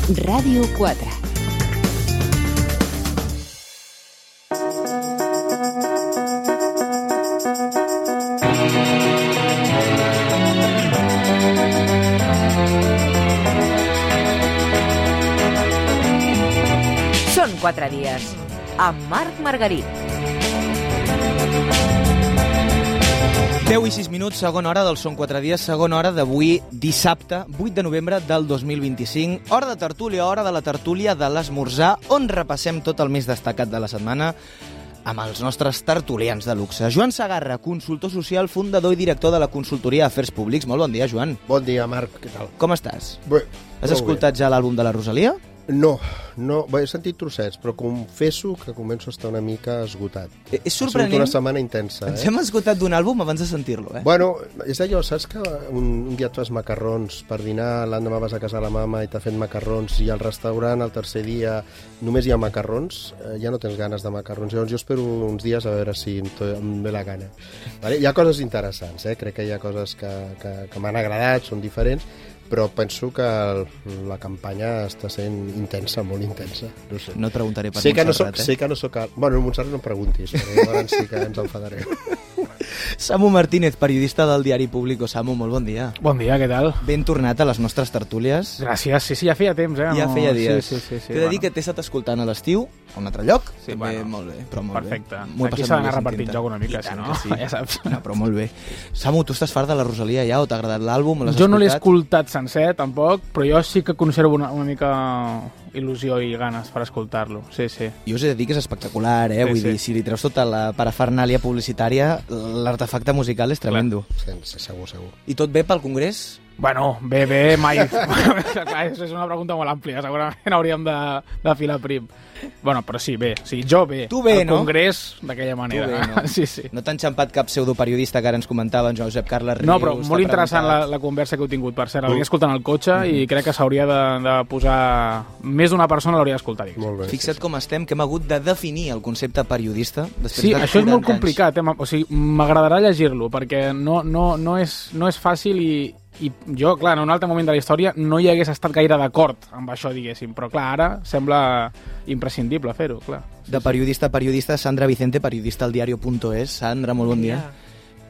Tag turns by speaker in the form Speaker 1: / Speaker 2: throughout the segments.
Speaker 1: Ràdio 4. Són 4 dies, amb Marc Margarit.
Speaker 2: 10 i 6 minuts, segona hora del Són 4 dies, segona hora d'avui, dissabte, 8 de novembre del 2025. Hora de tertúlia, hora de la tertúlia de l'esmorzar, on repassem tot el més destacat de la setmana amb els nostres tertulians de luxe. Joan Segarra, consultor social, fundador i director de la consultoria Afers Públics. Molt bon dia, Joan.
Speaker 3: Bon dia, Marc. Què tal?
Speaker 2: Com estàs?
Speaker 3: Bé.
Speaker 2: Has escoltat ja l'àlbum de la Rosalia?
Speaker 3: No. Bé, he sentit trossets, però confesso que començo a estar una mica esgotat.
Speaker 2: És sorprenent.
Speaker 3: Ha sigut una setmana intensa,
Speaker 2: Ens hem esgotat d'un àlbum abans de sentir-lo,
Speaker 3: Bueno, és allò, saps que un dia et fas macarrons per dinar, l'endemà vas a casa de la mama i t'ha fet macarrons, i al restaurant el tercer dia només hi ha macarrons, ja no tens ganes de macarrons. Llavors jo espero uns dies a veure si em ve la gana. Vale? Hi ha coses interessants, crec que hi ha coses que m'han agradat, són diferents, però penso que la campanya està sent intensa, molt intensa. No sé.
Speaker 2: No et preguntaré per
Speaker 3: Montserrat, Sé que no soc... Bueno, Montserrat no em preguntis, però llavors sí que ens enfadarem.
Speaker 2: Samu Martínez, periodista del diari Público. Samu, molt bon dia.
Speaker 4: Bon dia, què tal?
Speaker 2: Ben tornat a les nostres tertúlies.
Speaker 4: Gràcies, sí, ja feia temps,
Speaker 2: Ja feia dies.
Speaker 4: Sí,
Speaker 2: T'he de dir que t'he estat escoltant a l'estiu, a un altre lloc.
Speaker 4: Sí,
Speaker 2: també, molt bé, però molt
Speaker 4: perfecte.
Speaker 2: bé.
Speaker 4: Aquí s'ha d'anar repartint joc una mica, si no,
Speaker 2: sí.
Speaker 4: ja saps.
Speaker 2: No, però molt bé. Samu, tu estàs fart de la Rosalia ja, o t'ha agradat l'àlbum?
Speaker 4: Jo no l'he escoltat sencer, tampoc, però jo sí que conservo una mica il·lusió i ganes per escoltar-lo, sí.
Speaker 2: Jo us he de dir que és espectacular, Vull dir, si li treus tota la parafernàlia publicitària, l'artefacte musical és tremendo.
Speaker 3: Sí, segur.
Speaker 2: I tot bé pel Congrés?
Speaker 4: Bueno, bé, mai. Clar, és una pregunta molt àmplia, segurament hauríem de filar prim. Bueno, però sí, bé. Sí, jo bé.
Speaker 2: Tu bé, no?
Speaker 4: El Congrés, d'aquella manera.
Speaker 2: Tu bé, no?
Speaker 4: Sí.
Speaker 2: No t'ha enxampat cap pseudoperiodista que ara ens comentava en Josep Carles Rius?
Speaker 4: No, però molt interessant la conversa que heu tingut, per cert. L'hauria escoltant al cotxe i crec que s'hauria de posar... Més d'una persona l'hauria d'escoltar.
Speaker 3: Molt bé.
Speaker 2: Fixa't com estem, que hem hagut de definir el concepte periodista.
Speaker 4: Sí, això és molt complicat. O sigui, m'agradarà llegir-lo, perquè no és fàcil i jo, clar, en un altre moment de la història no hi hagués estat gaire d'acord amb això, diguéssim, però clar, ara sembla imprescindible fer-ho, clar.
Speaker 2: De periodista a periodista, Sandra Vicente, periodista al diario.es. Sandra, molt bon dia.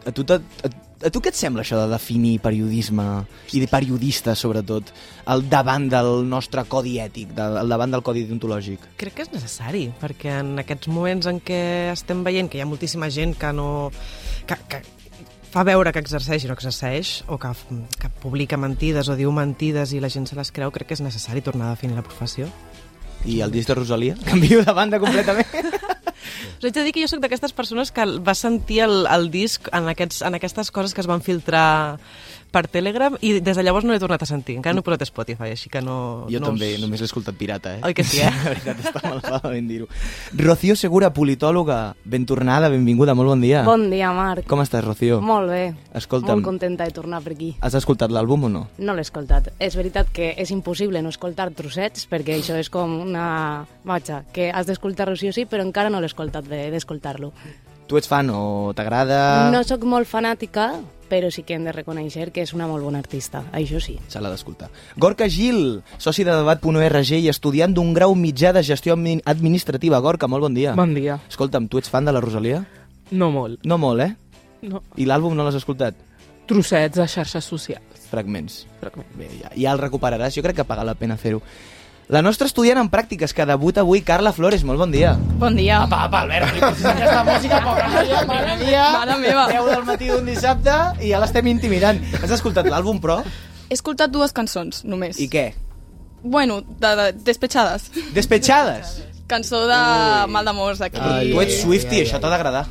Speaker 2: A tu què et sembla això de definir periodisme i de periodista, sobretot, al davant del nostre codi ètic, al davant del codi deontològic?
Speaker 5: Crec que és necessari, perquè en aquests moments en què estem veient que hi ha moltíssima gent que no... que fa veure que exerceix i no exerceix, o que publica mentides o diu mentides i la gent se les creu, crec que és necessari tornar a definir la professió.
Speaker 2: I el disc de Rosalia? Canvio de banda completament.
Speaker 5: Us haig de dir que jo soc d'aquestes persones que va sentir el disc en aquestes coses que es van filtrar per Telegram i des de llavors no l'he tornat a sentir. Encara no he posat a Spotify, així que no...
Speaker 2: Jo també, només l'he escoltat pirata,
Speaker 5: Oi que sí,
Speaker 2: La veritat, està malament dir-ho. Rocío Segura, politòloga, ben tornada, benvinguda, molt bon dia.
Speaker 6: Bon dia, Marc.
Speaker 2: Com estàs, Rocío?
Speaker 6: Molt bé.
Speaker 2: Escolta'm,
Speaker 6: molt contenta de tornar per aquí.
Speaker 2: Has escoltat l'àlbum o no?
Speaker 6: No l'he escoltat. És veritat que és impossible no escoltar trossets, perquè això és com una... Vaja, que has d'escoltar-lo sí o sí, però encara no l'he escoltat d'escoltar-lo.
Speaker 2: Tu ets fan o t'agrada?
Speaker 6: No sóc molt fanàtica, però sí que hem de reconèixer que és una molt bona artista, això sí.
Speaker 2: Se l'ha d'escoltar. Gorka Gil, soci de debat.org i estudiant d'un grau mitjà de gestió administrativa. Gorka, molt bon dia.
Speaker 7: Bon dia.
Speaker 2: Escolta'm, tu ets fan de la Rosalia?
Speaker 7: No molt.
Speaker 2: No molt,
Speaker 7: No.
Speaker 2: I l'àlbum no l'has escoltat?
Speaker 7: Trossets a xarxes socials.
Speaker 2: Fragments. Bé, ja el recuperaràs, jo crec que paga la pena fer-ho. La nostra estudiant en pràctiques que debuta avui, Carla Flores, molt bon dia.
Speaker 8: Bon dia.
Speaker 2: Apa, Albert, si aquesta música poca noia, mare meva, 10 del matí d'un dissabte i ja l'estem intimidant. Has escoltat l'àlbum, però?
Speaker 8: He escoltat 2 cançons, només.
Speaker 2: I què?
Speaker 8: Bueno, Despechades.
Speaker 2: Despechades?
Speaker 8: Cançó de mal d'amors aquí.
Speaker 2: Tu ets Swiftie, això t'ha d'agradar.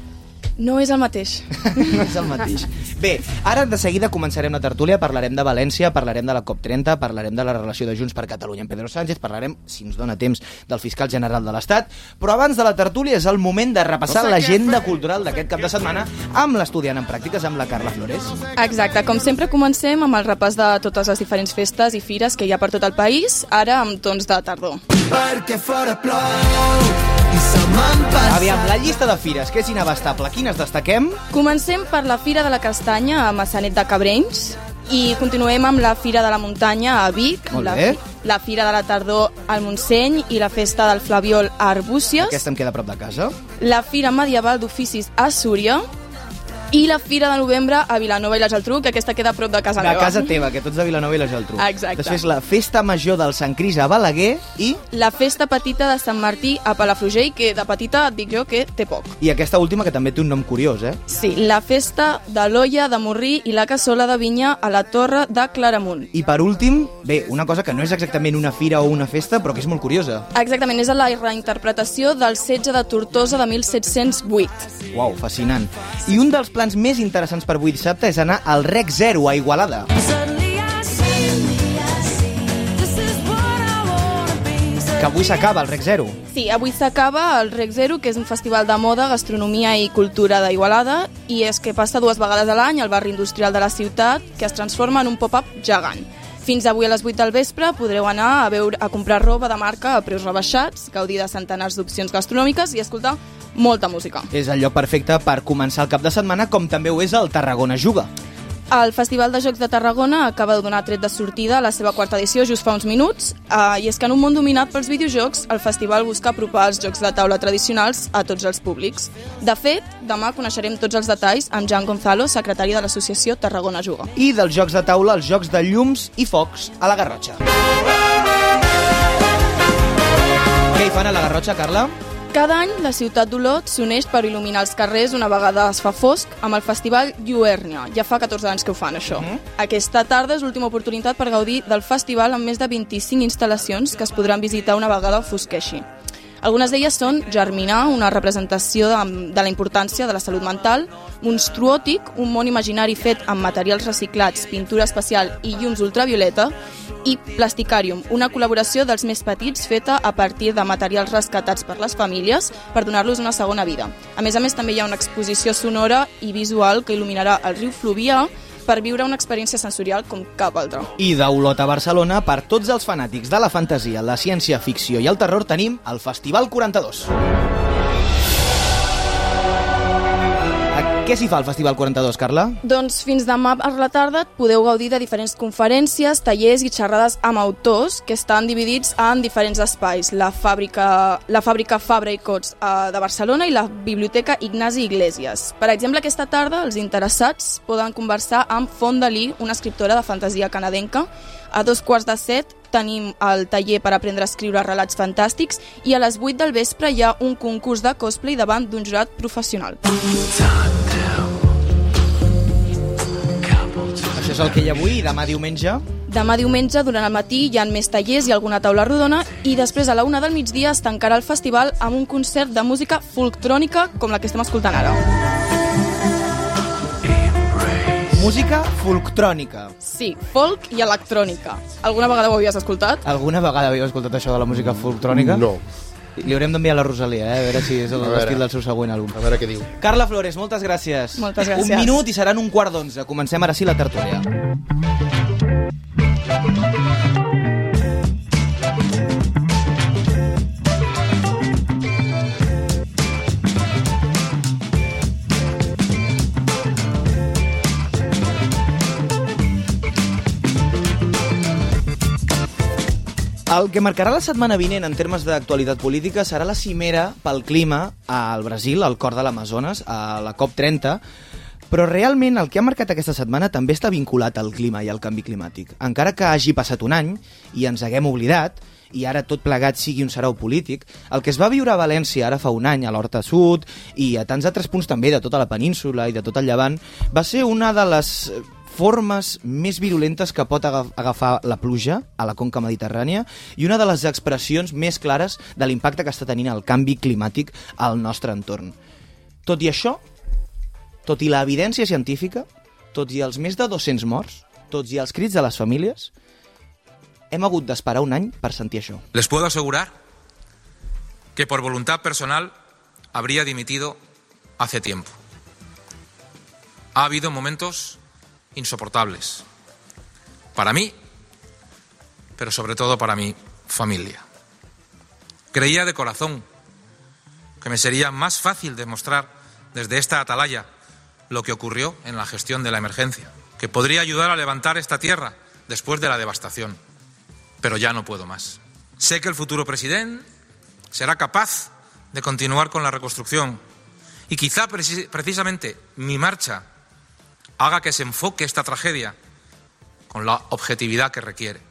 Speaker 8: No és el mateix.
Speaker 2: No és el mateix. Bé, ara de seguida començarem la tertúlia, parlarem de València, parlarem de la COP30, parlarem de la relació de Junts per Catalunya amb Pedro Sánchez, parlarem, si ens dona temps, del fiscal general de l'Estat, però abans de la tertúlia és el moment de repassar l'agenda cultural d'aquest cap de setmana amb l'estudiant en pràctiques, amb la Carla Flores.
Speaker 8: Exacte, com sempre comencem amb el repàs de totes les diferents festes i fires que hi ha per tot el país, ara amb tons de tardor.
Speaker 9: Perquè fora plou i se me'n passa.
Speaker 2: Aviam, la llista de fires, que és inabastable. Quines destaquem?
Speaker 8: Comencem per la Fira de la Castanya a Maçanet de Cabrenys. I continuem amb la Fira de la Muntanya a Vic,
Speaker 2: Molt bé.
Speaker 8: la Fira de la Tardor al Montseny i la Festa del Flabiol a Arbúcies,
Speaker 2: Aquesta em queda a prop de casa.
Speaker 8: la Fira Medieval d'Oficis a Súria i la Fira de Novembre a Vilanova i la Geltrú, que aquesta queda a prop de casa
Speaker 2: De
Speaker 8: meva.
Speaker 2: casa teva, que tots de Vilanova i la Geltrú.
Speaker 8: Exacte.
Speaker 2: Després la Festa Major del Sant Cris a Balaguer
Speaker 8: La Festa Petita de Sant Martí a Palafrugell, que de petita et dic jo que té poc.
Speaker 2: i aquesta última que també té un nom curiós,
Speaker 8: Sí, la Festa de l'Olla de Morrí i la Cassola de Vinya a la Torre de Claramunt.
Speaker 2: I per últim, bé, una cosa que no és exactament una fira o una festa, però que és molt curiosa.
Speaker 8: Exactament, és la reinterpretació del setge de Tortosa de 1708.
Speaker 2: Uau, fascinant. I un dels plans més interessants per avui dissabte és anar al Rec Zero a Igualada. Que avui s'acaba el Rec Zero.
Speaker 8: Sí, avui s'acaba el Rec Zero, que és un festival de moda, gastronomia i cultura d'Igualada, i és que passa 2 vegades a l'any al barri industrial de la ciutat, que es transforma en un pop-up gegant. Fins avui a les 8 del vespre podreu anar a comprar roba de marca a preus rebaixats, gaudir de centenars d'opcions gastronòmiques i escoltar molta música.
Speaker 2: És el lloc perfecte per començar el cap de setmana, com també ho és el Tarragona Juga.
Speaker 8: El Festival de Jocs de Tarragona acaba de donar tret de sortida a la seva 4ª edició just fa uns minuts, i és que en un món dominat pels videojocs, el festival busca apropar els jocs de taula tradicionals a tots els públics. De fet, demà coneixerem tots els detalls amb Jan Gonzalo, secretari de l'associació Tarragona Juga.
Speaker 2: I dels jocs de taula, els jocs de llums i focs a la Garrotxa. Què hi fan a la Garrotxa, Carla?
Speaker 8: Cada any, la ciutat d'Olot s'uneix per il·luminar els carrers una vegada es fa fosc amb el festival Lluernia. Ja fa 14 anys que ho fan, això. Aquesta tarda és l'última oportunitat per gaudir del festival amb més de 25 instal·lacions que es podran visitar una vegada fosqueixi. Algunes d'elles són Germinar, una representació de la importància de la salut mental, Monstruòtic, un món imaginari fet amb materials reciclats, pintura especial i llums ultravioleta, i Plasticarium, una col·laboració dels més petits feta a partir de materials rescatats per les famílies per donar-los una segona vida. A més, també hi ha una exposició sonora i visual que il·luminarà el riu Fluvià per viure una experiència sensorial com cap altra.
Speaker 2: I d'Olot a Barcelona, per tots els fanàtics de la fantasia, la ciència-ficció i el terror, tenim el Festival 42. Què s'hi fa al Festival 42, Carla?
Speaker 8: Doncs fins demà a la tarda podeu gaudir de diferents conferències, tallers i xerrades amb autors que estan dividits en diferents espais. La fàbrica Fabra i Cots de Barcelona i la Biblioteca Ignasi Iglesias. Per exemple, aquesta tarda els interessats poden conversar amb Fonda Lee, una escriptora de fantasia canadenca. A 6:45 tenim el taller per aprendre a escriure relats fantàstics i a les 8 del vespre hi ha un concurs de cosplay davant d'un jurat professional.
Speaker 2: Això és el que hi ha avui i demà diumenge?
Speaker 8: Demà diumenge, durant el matí, hi ha més tallers i alguna taula rodona i després a la 1 del migdia es tancarà el festival amb un concert de música folktrònica com la que estem escoltant ara.
Speaker 2: Música folktrònica.
Speaker 8: Sí, folk i electrònica. Alguna vegada ho havies escoltat?
Speaker 2: Alguna vegada havíeu escoltat això de la música folktrònica?
Speaker 3: No.
Speaker 2: Li haurem d'enviar a la Rosalia, a veure si és l'estil del seu següent àlbum.
Speaker 3: A veure què diu.
Speaker 2: Carla Flores, moltes gràcies.
Speaker 8: Moltes gràcies.
Speaker 2: Un minut i seran 11:15. Comencem ara sí la tertúlia. El que marcarà la setmana vinent en termes d'actualitat política serà la cimera pel clima al Brasil, al cor de l'Amazones, a la COP30, però realment el que ha marcat aquesta setmana també està vinculat al clima i al canvi climàtic. Encara que hagi passat un any i ens haguem oblidat, i ara tot plegat sigui un sarau polític, el que es va viure a València ara fa un any, a l'Horta Sud, i a tants altres punts també de tota la península i de tot el Llevant, va ser una de les formes més virulentes que pot agafar la pluja a la conca mediterrània i una de les expressions més clares de l'impacte que està tenint el canvi climàtic al nostre entorn. Tot i això, tot i l'evidència científica, tot i els més de 200 morts, tots i els crits de les famílies, hem hagut d'esperar un any per sentir això.
Speaker 10: Les puedo asegurar que por voluntad personal habría dimitido hace tiempo. Ha habido momentos insoportables para mí, pero sobre todo para mi familia. Creía de corazón que me sería más fácil demostrar desde esta atalaya lo que ocurrió en la gestión de la emergencia, que podría ayudar a levantar esta tierra después de la devastación. Pero ya no puedo más. Sé que el futuro presidente será capaz de continuar con la reconstrucción y quizá precisamente mi marcha haga que se enfoque esta tragedia con la objetividad que requiere.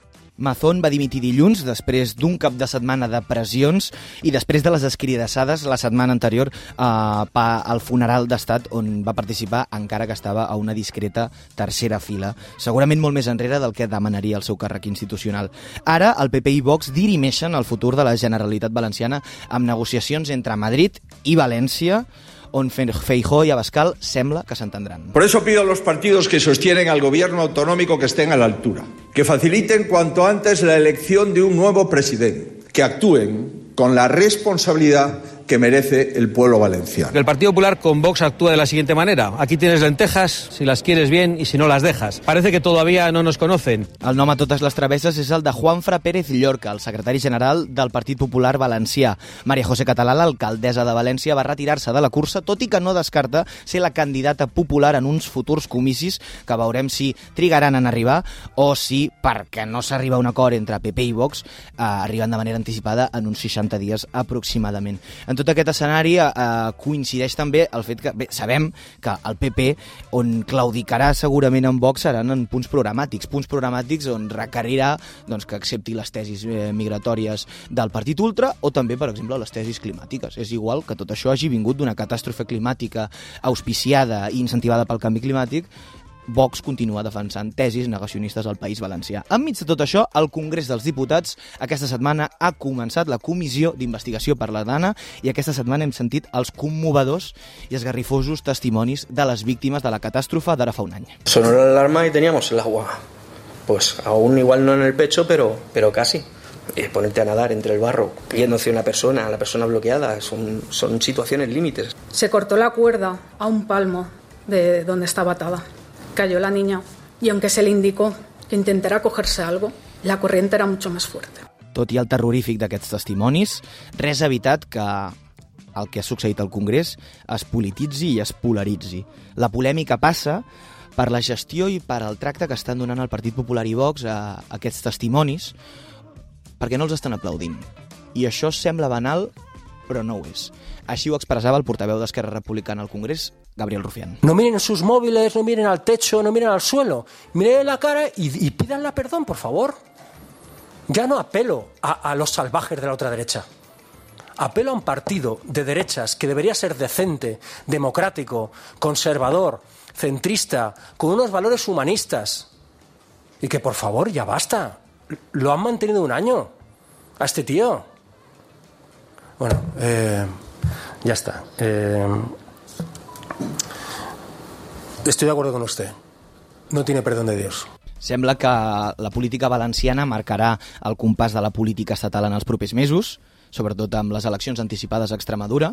Speaker 2: Mazón va dimitir dilluns després d'un cap de setmana de pressions i després de les escridassades la setmana anterior al funeral d'estat on va participar encara que estava a una discreta tercera fila, segurament molt més enrere del que demanaria el seu càrrec institucional. Ara el PP i Vox dirimeixen el futur de la Generalitat Valenciana amb negociacions entre Madrid i València, on Feijóo y Abascal sembla que s'entendran.
Speaker 11: Por eso pido a los partidos que sostienen al gobierno autonómico que estén a la altura, que faciliten cuanto antes la elección de un nuevo presidente, que actúen con la responsabilidad que merece el pueblo valenciano.
Speaker 12: El Partido Popular con Vox actúa de la siguiente manera. Aquí tienes lentejas, si las quieres bien y si no las dejas. Parece que todavía no nos conocen.
Speaker 2: El nom a totes les travesses és el de Juanfra Pérez Llorca, el secretari general del Partit Popular Valencià. Maria José Català, l'alcaldessa de València, va retirar-se de la cursa, tot i que no descarta ser la candidata popular en uns futurs comicis que veurem si trigaran en arribar o si, perquè no s'arriba a un acord entre PP i Vox, arriben de manera anticipada en uns 60 dies aproximadament. En tot aquest escenari coincideix també el fet que, bé, sabem que el PP on claudicarà segurament en Vox seran en punts programàtics on requerirà doncs, que accepti les tesis migratòries del Partit Ultra o també, per exemple, les tesis climàtiques. És igual que tot això hagi vingut d'una catàstrofe climàtica auspiciada i incentivada pel canvi climàtic. Vox continua defensant tesis negacionistes al País Valencià. Enmig de tot això, el Congrés dels Diputats aquesta setmana ha començat la comissió d'investigació per la Dana i aquesta setmana hem sentit els commovedors i esgarrifosos testimonis de les víctimes de la catàstrofe d'ara fa un any.
Speaker 13: Sonó la alarma y teníamos el agua. Pues aún igual no en el pecho, pero casi. Ponerte a nadar entre el barro, yendo hacia una persona, la persona bloqueada, son situaciones límites.
Speaker 14: Se cortó la cuerda a un palmo de donde estaba atada. Cayó la niña y aunque se le indicó que intentara cogerse algo, la corriente era mucho más fuerte.
Speaker 2: Tot i el terrorífic d'aquests testimonis, res ha evitat que el que ha succeït al Congrés es polititzi i es polaritzi. La polèmica passa per la gestió i per el tracte que estan donant el Partit Popular i Vox a aquests testimonis perquè no els estan aplaudint. I això sembla banal, però no ho és. Així ho expressava el portaveu d'Esquerra Republicana al Congrés, Gabriel Rufián.
Speaker 15: No miren sus móviles, no miren al techo, no miren al suelo. Miren la cara y pídanle perdón, por favor. Ya no apelo a los salvajes de la otra derecha. Apelo a un partido de derechas que debería ser decente, democrático, conservador, centrista, con unos valores humanistas. Y que, por favor, ya basta. Lo han mantenido un año a este tío. Bueno, ya está. Estoy de acuerdo con usted. No tiene perdón de Dios.
Speaker 2: Sembla que la política valenciana marcarà el compàs de la política estatal en els propers mesos, sobretot amb les eleccions anticipades a Extremadura,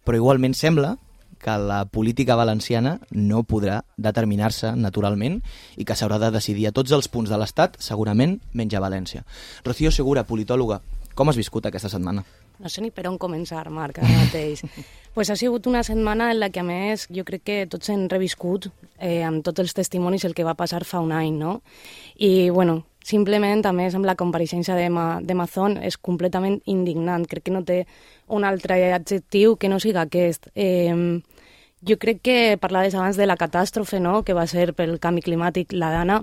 Speaker 2: però igualment sembla que la política valenciana no podrà determinar-se naturalment i que s'haurà de decidir a tots els punts de l'Estat, segurament menys a València. Rocío Segura, politòloga, com has viscut aquesta setmana?
Speaker 6: No sé ni per on començar, Marc, ara mateix. Pues ha sigut una setmana en la que, a més, jo crec que tots hem reviscut amb tots els testimonis el que va passar fa un any, no? I, bueno, simplement, a més, amb la compareixença de Mazón és completament indignant. Crec que no té un altre adjectiu que no siga aquest. Jo crec que parlaves abans de la catàstrofe, no?, que va ser pel canvi climàtic la Dana,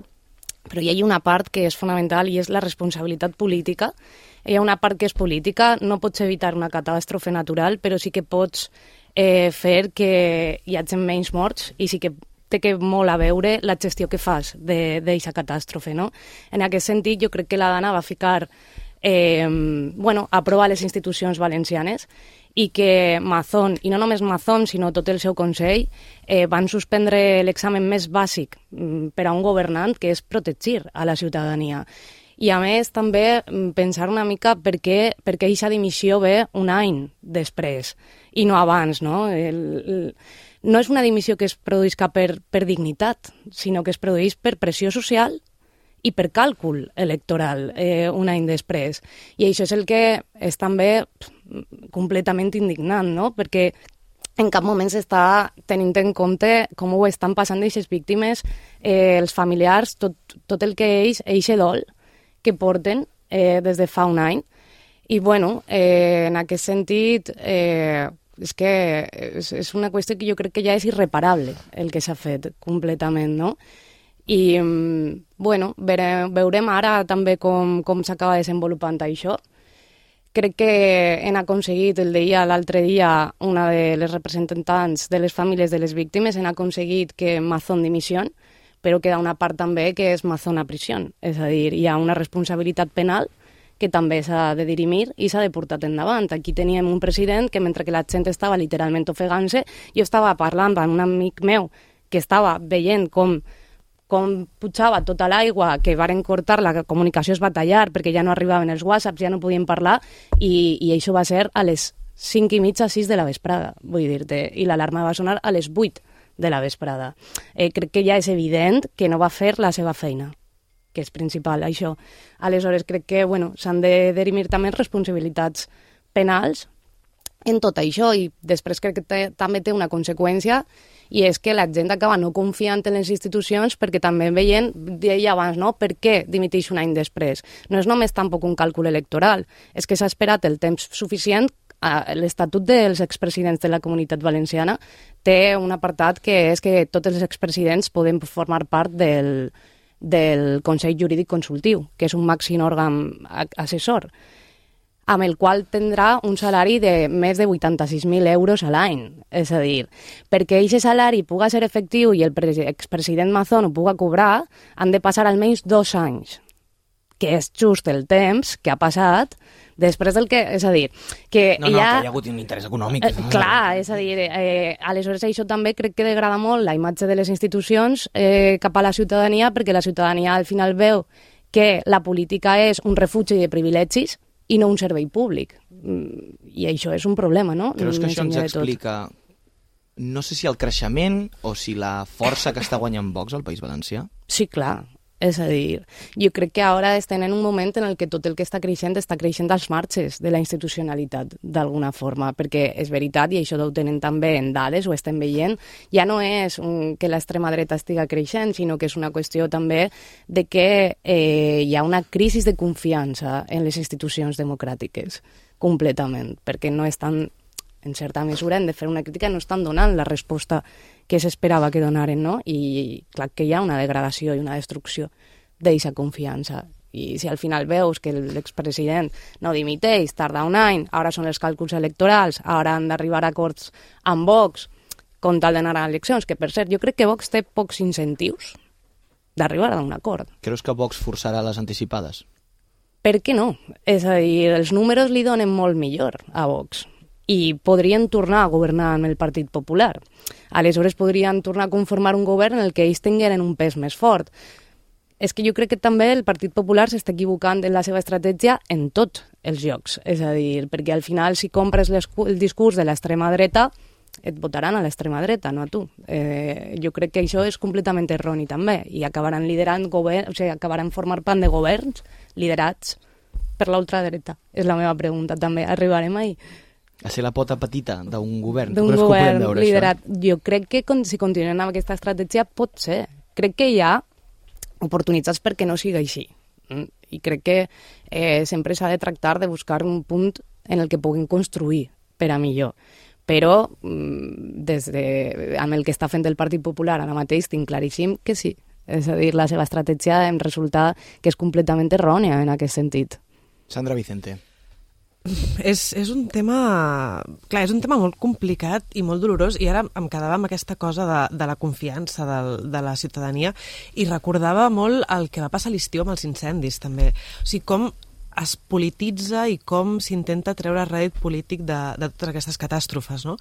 Speaker 6: però hi ha una part que és fonamental i és la responsabilitat política. Hi ha una part que és política, no pots evitar una catàstrofe natural, però sí que pots fer que hi hagi menys morts i sí que té molt a veure la gestió que fas d'aquesta catàstrofe, no? En aquest sentit, jo crec que la Dana va ficar a prova les institucions valencianes i que Mazón, i no només Mazón, sinó tot el seu Consell, van suspendre l'examen més bàsic per a un governant, que és protegir a la ciutadania. I, a més, també pensar una mica per què aquesta dimissió ve un any després i no abans, no? No és una dimissió que es produïsca per dignitat, sinó que es produeix per pressió social i per càlcul electoral un any després. I això és el que és també completament indignant, no? Perquè en cap moment s'està tenint en compte com ho estan passant aquestes víctimes, els familiars, tot el que eixe dol que porten des de fa un any. I, bueno, en aquest sentit, és que és una qüestió que jo crec que ja és irreparable el que s'ha fet completament, no? I, bueno, veurem ara també com s'acaba desenvolupant això. Crec que hem aconseguit, el deia l'altre dia una de les representants de les famílies de les víctimes, hem aconseguit que Mazón dimissió, però queda una part també que és Mazón a prisió. És a dir, hi ha una responsabilitat penal que també s'ha de dirimir i s'ha de portar endavant. Aquí teníem un president que mentre que la gent estava literalment ofegant-se, jo estava parlant amb un amic meu que estava veient com pujava tota l'aigua, que varen cortar, la comunicació es va tallar perquè ja no arribaven els whatsapps, ja no podien parlar, i això va ser a les 5:30, 6 de la vesprada, vull dir-te, i l'alarma va sonar a les 8 de la vesprada. Crec que ja és evident que no va fer la seva feina, que és principal, això. Aleshores, crec que s'han de dirimir també responsabilitats penals en tot això, i després crec que també té una conseqüència, i és que la gent acaba no confiant en les institucions perquè també veient, deia abans, no? Per què dimiteix un any després? No és només tampoc un càlcul electoral, és que s'ha esperat el temps suficient. L'Estatut dels expresidents de la Comunitat Valenciana té un apartat que és que tots els expresidents poden formar part del Consell Jurídic Consultiu, que és un màxim òrgan assessor, amb el qual tindrà un salari de més de 86.000 euros a l'any. És a dir, perquè aquest salari puga ser efectiu i el expresident Mazón ho puga cobrar, han de passar almenys 2 anys, que és just el temps que ha passat després del que... És a dir, que
Speaker 2: que hi ha hagut un interès econòmic.
Speaker 6: Clar, és a dir, aleshores això també crec que degrada molt la imatge de les institucions cap a la ciutadania, perquè la ciutadania al final veu que la política és un refugi de privilegis i no un servei públic. I això és un problema, no?
Speaker 2: Creus que això ens explica, no sé si el creixement o si la força que està guanyant Vox al País Valencià?
Speaker 6: Sí, clar. És a dir, jo crec que ara estem en un moment en el que tot el que està creixent als marges de la institucionalitat, d'alguna forma, perquè és veritat, i això ho tenen també en dades, ho estem veient, ja no és que l'extrema dreta estiga creixent, sinó que és una qüestió també de que hi ha una crisi de confiança en les institucions democràtiques, completament, perquè no estan, en certa mesura, hem de fer una crítica, no estan donant la resposta que s'esperava que donaren, no? I clar que hi ha una degradació i una destrucció d'aquesta confiança. I si al final veus que l'expresident no dimiteix, tarda un any, ara són els càlculs electorals, ara han d'arribar a acords amb Vox com tal d'anar a eleccions, que per cert, jo crec que Vox té pocs incentius d'arribar a un acord.
Speaker 2: Creus que Vox forçarà les anticipades?
Speaker 6: Per què no? És a dir, els números li donen molt millor a Vox i podrien tornar a governar amb el Partit Popular. Aleshores podrien tornar a conformar un govern en el que ells tingueren un pes més fort. És que jo crec que també el Partit Popular s'està equivocant en la seva estratègia en tots els llocs. És a dir, perquè al final si compres el discurs de l'extrema dreta, et votaran a l'extrema dreta, no a tu. Jo crec que això és completament erroni també, i acabaran liderant governs, o sigui, acabaran formant part de governs liderats per l'ultradreta. És la meva pregunta també. Arribarem ahí?
Speaker 2: A ser la pota petita d'un govern.
Speaker 6: D'un govern liderat. Jo crec que si continuem amb aquesta estratègia pot ser. Crec que hi ha oportunitats perquè no sigui així. I crec que sempre s'ha de tractar de buscar un punt en el que puguin construir per a millor. Però amb el que està fent el Partit Popular ara mateix tinc claríssim que sí. És a dir, la seva estratègia em resulta que és completament errònia en aquest sentit.
Speaker 2: Sandra Vicente.
Speaker 5: És un tema... Clar, és un tema molt complicat i molt dolorós, i ara em quedava amb aquesta cosa de la confiança de la ciutadania, i recordava molt el que va passar a l'estiu amb els incendis, també. O sigui, com es polititza i com s'intenta treure rèdit polític de totes aquestes catàstrofes, no?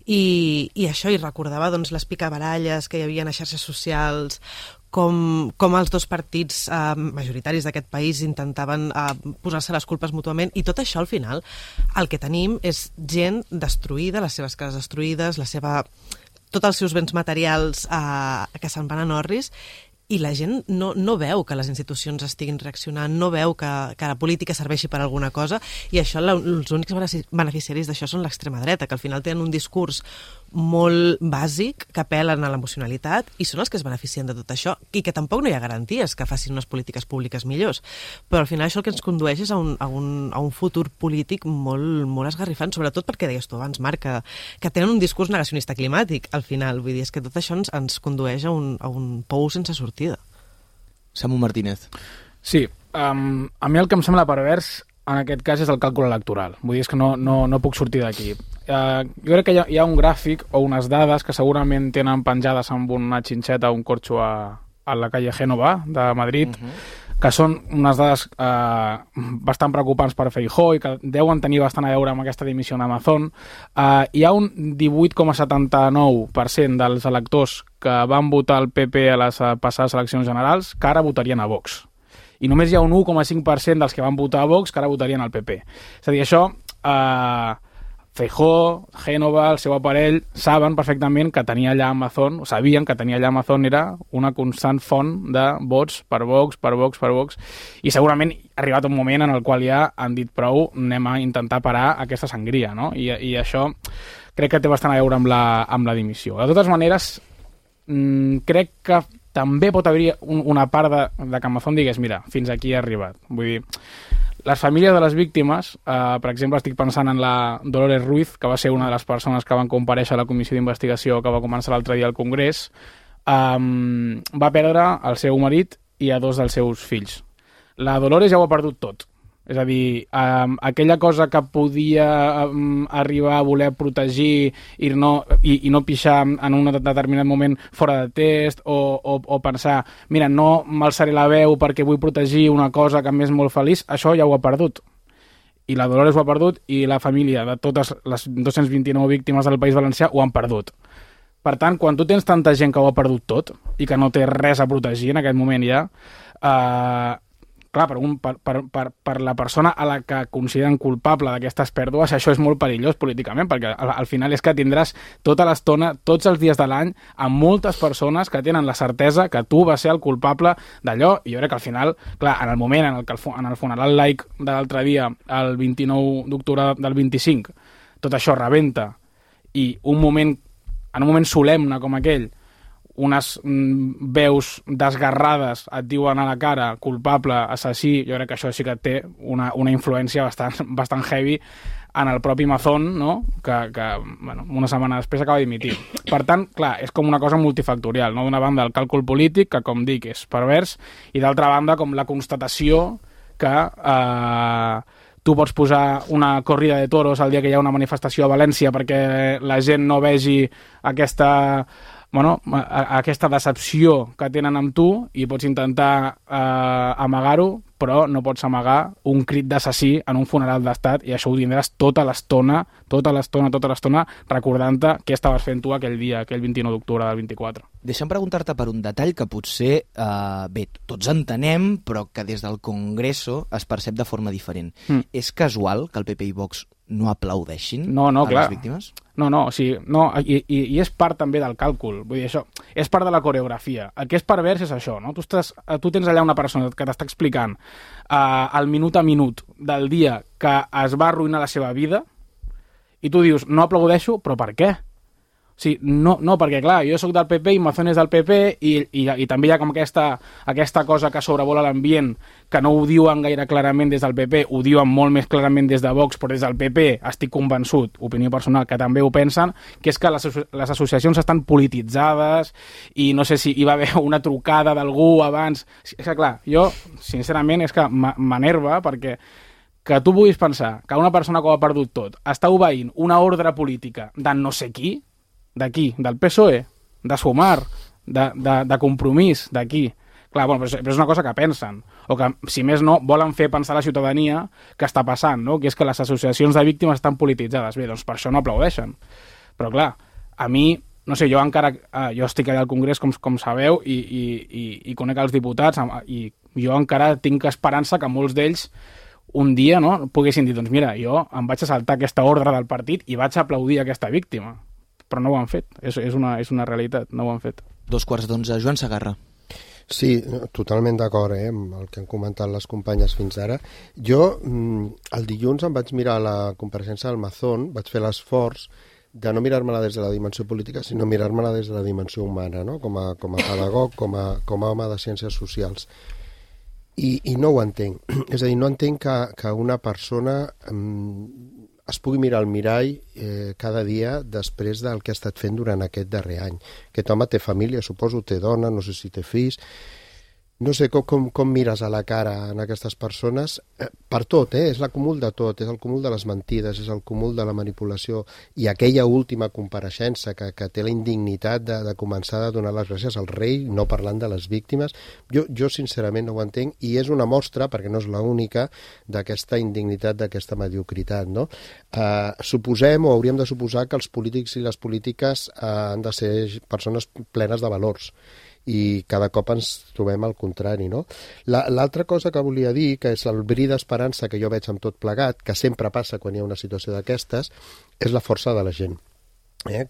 Speaker 5: I això, i recordava doncs, les picabaralles que hi havia a xarxes socials, com els dos partits majoritaris d'aquest país intentaven posar-se les culpes mútuament, i tot això al final el que tenim és gent destruïda, les seves cases destruïdes, tots els seus béns materials que se'n van en orris, i la gent no veu que les institucions estiguin reaccionant, no veu que la política serveixi per alguna cosa, i això, els únics beneficiaris d'això són l'extrema dreta, que al final tenen un discurs molt bàsic, que apel·len a l'emocionalitat, i són els que es beneficien de tot això, i que tampoc no hi ha garanties que facin unes polítiques públiques millors. Però al final això el que ens condueix és a un futur polític molt esgarrifant, sobretot perquè deies tu abans, Marc, que tenen un discurs negacionista climàtic, al final. Vull dir, és que tot això ens condueix a un pou sense sortida.
Speaker 2: Samu Martínez.
Speaker 4: Sí, a mi el que em sembla pervers en aquest cas és el càlcul electoral. Vull dir, és que no puc sortir d'aquí. Jo crec que hi ha un gràfic o unes dades que segurament tenen penjades amb una xinxeta o un corxo a la calle Génova de Madrid, que són unes dades bastant preocupants per Feijóo i que deuen tenir bastant a veure amb aquesta dimissió d'Amazon. Hi ha un 18,79% dels electors que van votar el PP a les passades eleccions generals que ara votarien a Vox. I només hi ha un 1,5% dels que van votar a Vox que ara votarien al PP. És a dir, això, Feijóo, Génova, el seu aparell, saben perfectament que tenir allà Amazon, o sabien que tenir allà Amazon era una constant font de vots per Vox, i segurament ha arribat un moment en el qual ja han dit prou, anem a intentar parar aquesta sangria, no? I això crec que té bastant a veure amb la dimissió. De totes maneres, crec que també pot haver una part de que Amazon digués, mira, fins aquí he arribat. Vull dir, les famílies de les víctimes, per exemple, estic pensant en la Dolores Ruiz, que va ser una de les persones que van comparèixer a la comissió d'investigació que va començar l'altre dia al Congrés, va perdre el seu marit i a 2 dels seus fills. La Dolores ja ho ha perdut tot. És a dir, aquella cosa que podia arribar a voler protegir i no pixar en un determinat moment fora de test o pensar, mira, no m'alçaré la veu perquè vull protegir una cosa que m'és molt feliç, això ja ho ha perdut. I la Dolores ho ha perdut i la família de totes les 229 víctimes del País Valencià ho han perdut. Per tant, quan tu tens tanta gent que ho ha perdut tot i que no té res a protegir en aquest moment ja, clar, per la persona a la que consideren culpable d'aquestes pèrdues, això és molt perillós políticament, perquè al final és que tindràs tota l'estona, tots els dies de l'any, amb moltes persones que tenen la certesa que tu vas ser el culpable d'allò, i jo crec que al final, clar, en el moment en què en el funeral laic de l'altre dia, el 29 d'octubre del 25, tot això rebenta, i en un moment solemne com aquell, unes veus desgarrades et diuen a la cara culpable, assassí, jo crec que això sí que té una influència bastant heavy en el propi Amazon, no? que bueno, una setmana després acaba dimitir. Per tant, clar, és com una cosa multifactorial, no? D'una banda el càlcul polític, que com dic és pervers, i d'altra banda com la constatació que tu pots posar una corrida de toros el dia que hi ha una manifestació a València perquè la gent no vegi aquesta decepció que tenen amb tu i pots intentar amagar-ho, però no pots amagar un crit d'assassí en un funeral d'estat i això ho tindràs tota l'estona recordant-te què estaves fent tu aquell dia, aquell 29 d'octubre del 24.
Speaker 2: Deixa'm preguntar-te per un detall que potser, bé, tots entenem, però que des del Congreso es percep de forma diferent. És casual que el PP i Vox no aplaudeixin a
Speaker 4: clar.
Speaker 2: les víctimes?
Speaker 4: No, i és part també del càlcul, vull dir, això és part de la coreografia. El que és pervers és això, no? Tu tens allà una persona que t'està explicant al minut a minut del dia que es va arruïnar la seva vida i tu dius, no aplaudeixo, però per què? O sigui, no, perquè clar, jo sóc del PP i Amazon és del PP i també hi ha com aquesta cosa que sobrevola l'ambient, que no ho diuen gaire clarament des del PP, ho diuen molt més clarament des de Vox, però des del PP estic convençut, opinió personal, que també ho pensen, que és que les associacions estan polititzades i no sé si hi va haver una trucada d'algú abans. És que clar, jo sincerament és que m'enerva perquè que tu puguis pensar que una persona que ho ha perdut tot està obeint una ordre política de no sé qui, d'aquí, del PSOE, de Sumar, de Compromís, d'aquí. Clar, bueno, però és una cosa que pensen, o que, si més no, volen fer pensar a la ciutadania que està passant, no? Que és que les associacions de víctimes estan polititzades. Bé, doncs per això no aplaudeixen. Però clar, a mi, no sé, jo estic allà al Congrés, com sabeu, i conec els diputats, i jo encara tinc esperança que molts d'ells un dia, no, poguessin dir, doncs mira, jo em vaig a saltar aquesta ordre del partit i vaig a aplaudir aquesta víctima. Però no ho han fet, és una realitat, no ho han fet.
Speaker 2: 11:15, Joan Segarra.
Speaker 3: Sí, totalment d'acord amb el que han comentat les companyes fins ara. Jo el dilluns em vaig mirar la compareixença del Mazón, vaig fer l'esforç de no mirar-me-la des de la dimensió política, sinó mirar-me-la des de la dimensió humana, no? Com a pedagog, com a home de ciències socials. I no ho entenc. És a dir, no entenc que una persona es pugui mirar al mirall cada dia després del que ha estat fent durant aquest darrer any. Aquest home té família, suposo, té dona, no sé si té fills. No sé com mires a la cara en aquestes persones, per tot, és l'acúmul de tot, és el cúmul de les mentides, és el cúmul de la manipulació, i aquella última compareixença que té la indignitat de començar a donar les gràcies al rei, no parlant de les víctimes, jo sincerament no ho entenc, i és una mostra, perquè no és l'única, d'aquesta indignitat, d'aquesta mediocritat, no? Suposem, o hauríem de suposar, que els polítics i les polítiques han de ser persones plenes de valors, i cada cop ens trobem al contrari, no? L'altra cosa que volia dir, que és el bri d'esperança que jo veig amb tot plegat, que sempre passa quan hi ha una situació d'aquestes, és la força de la gent.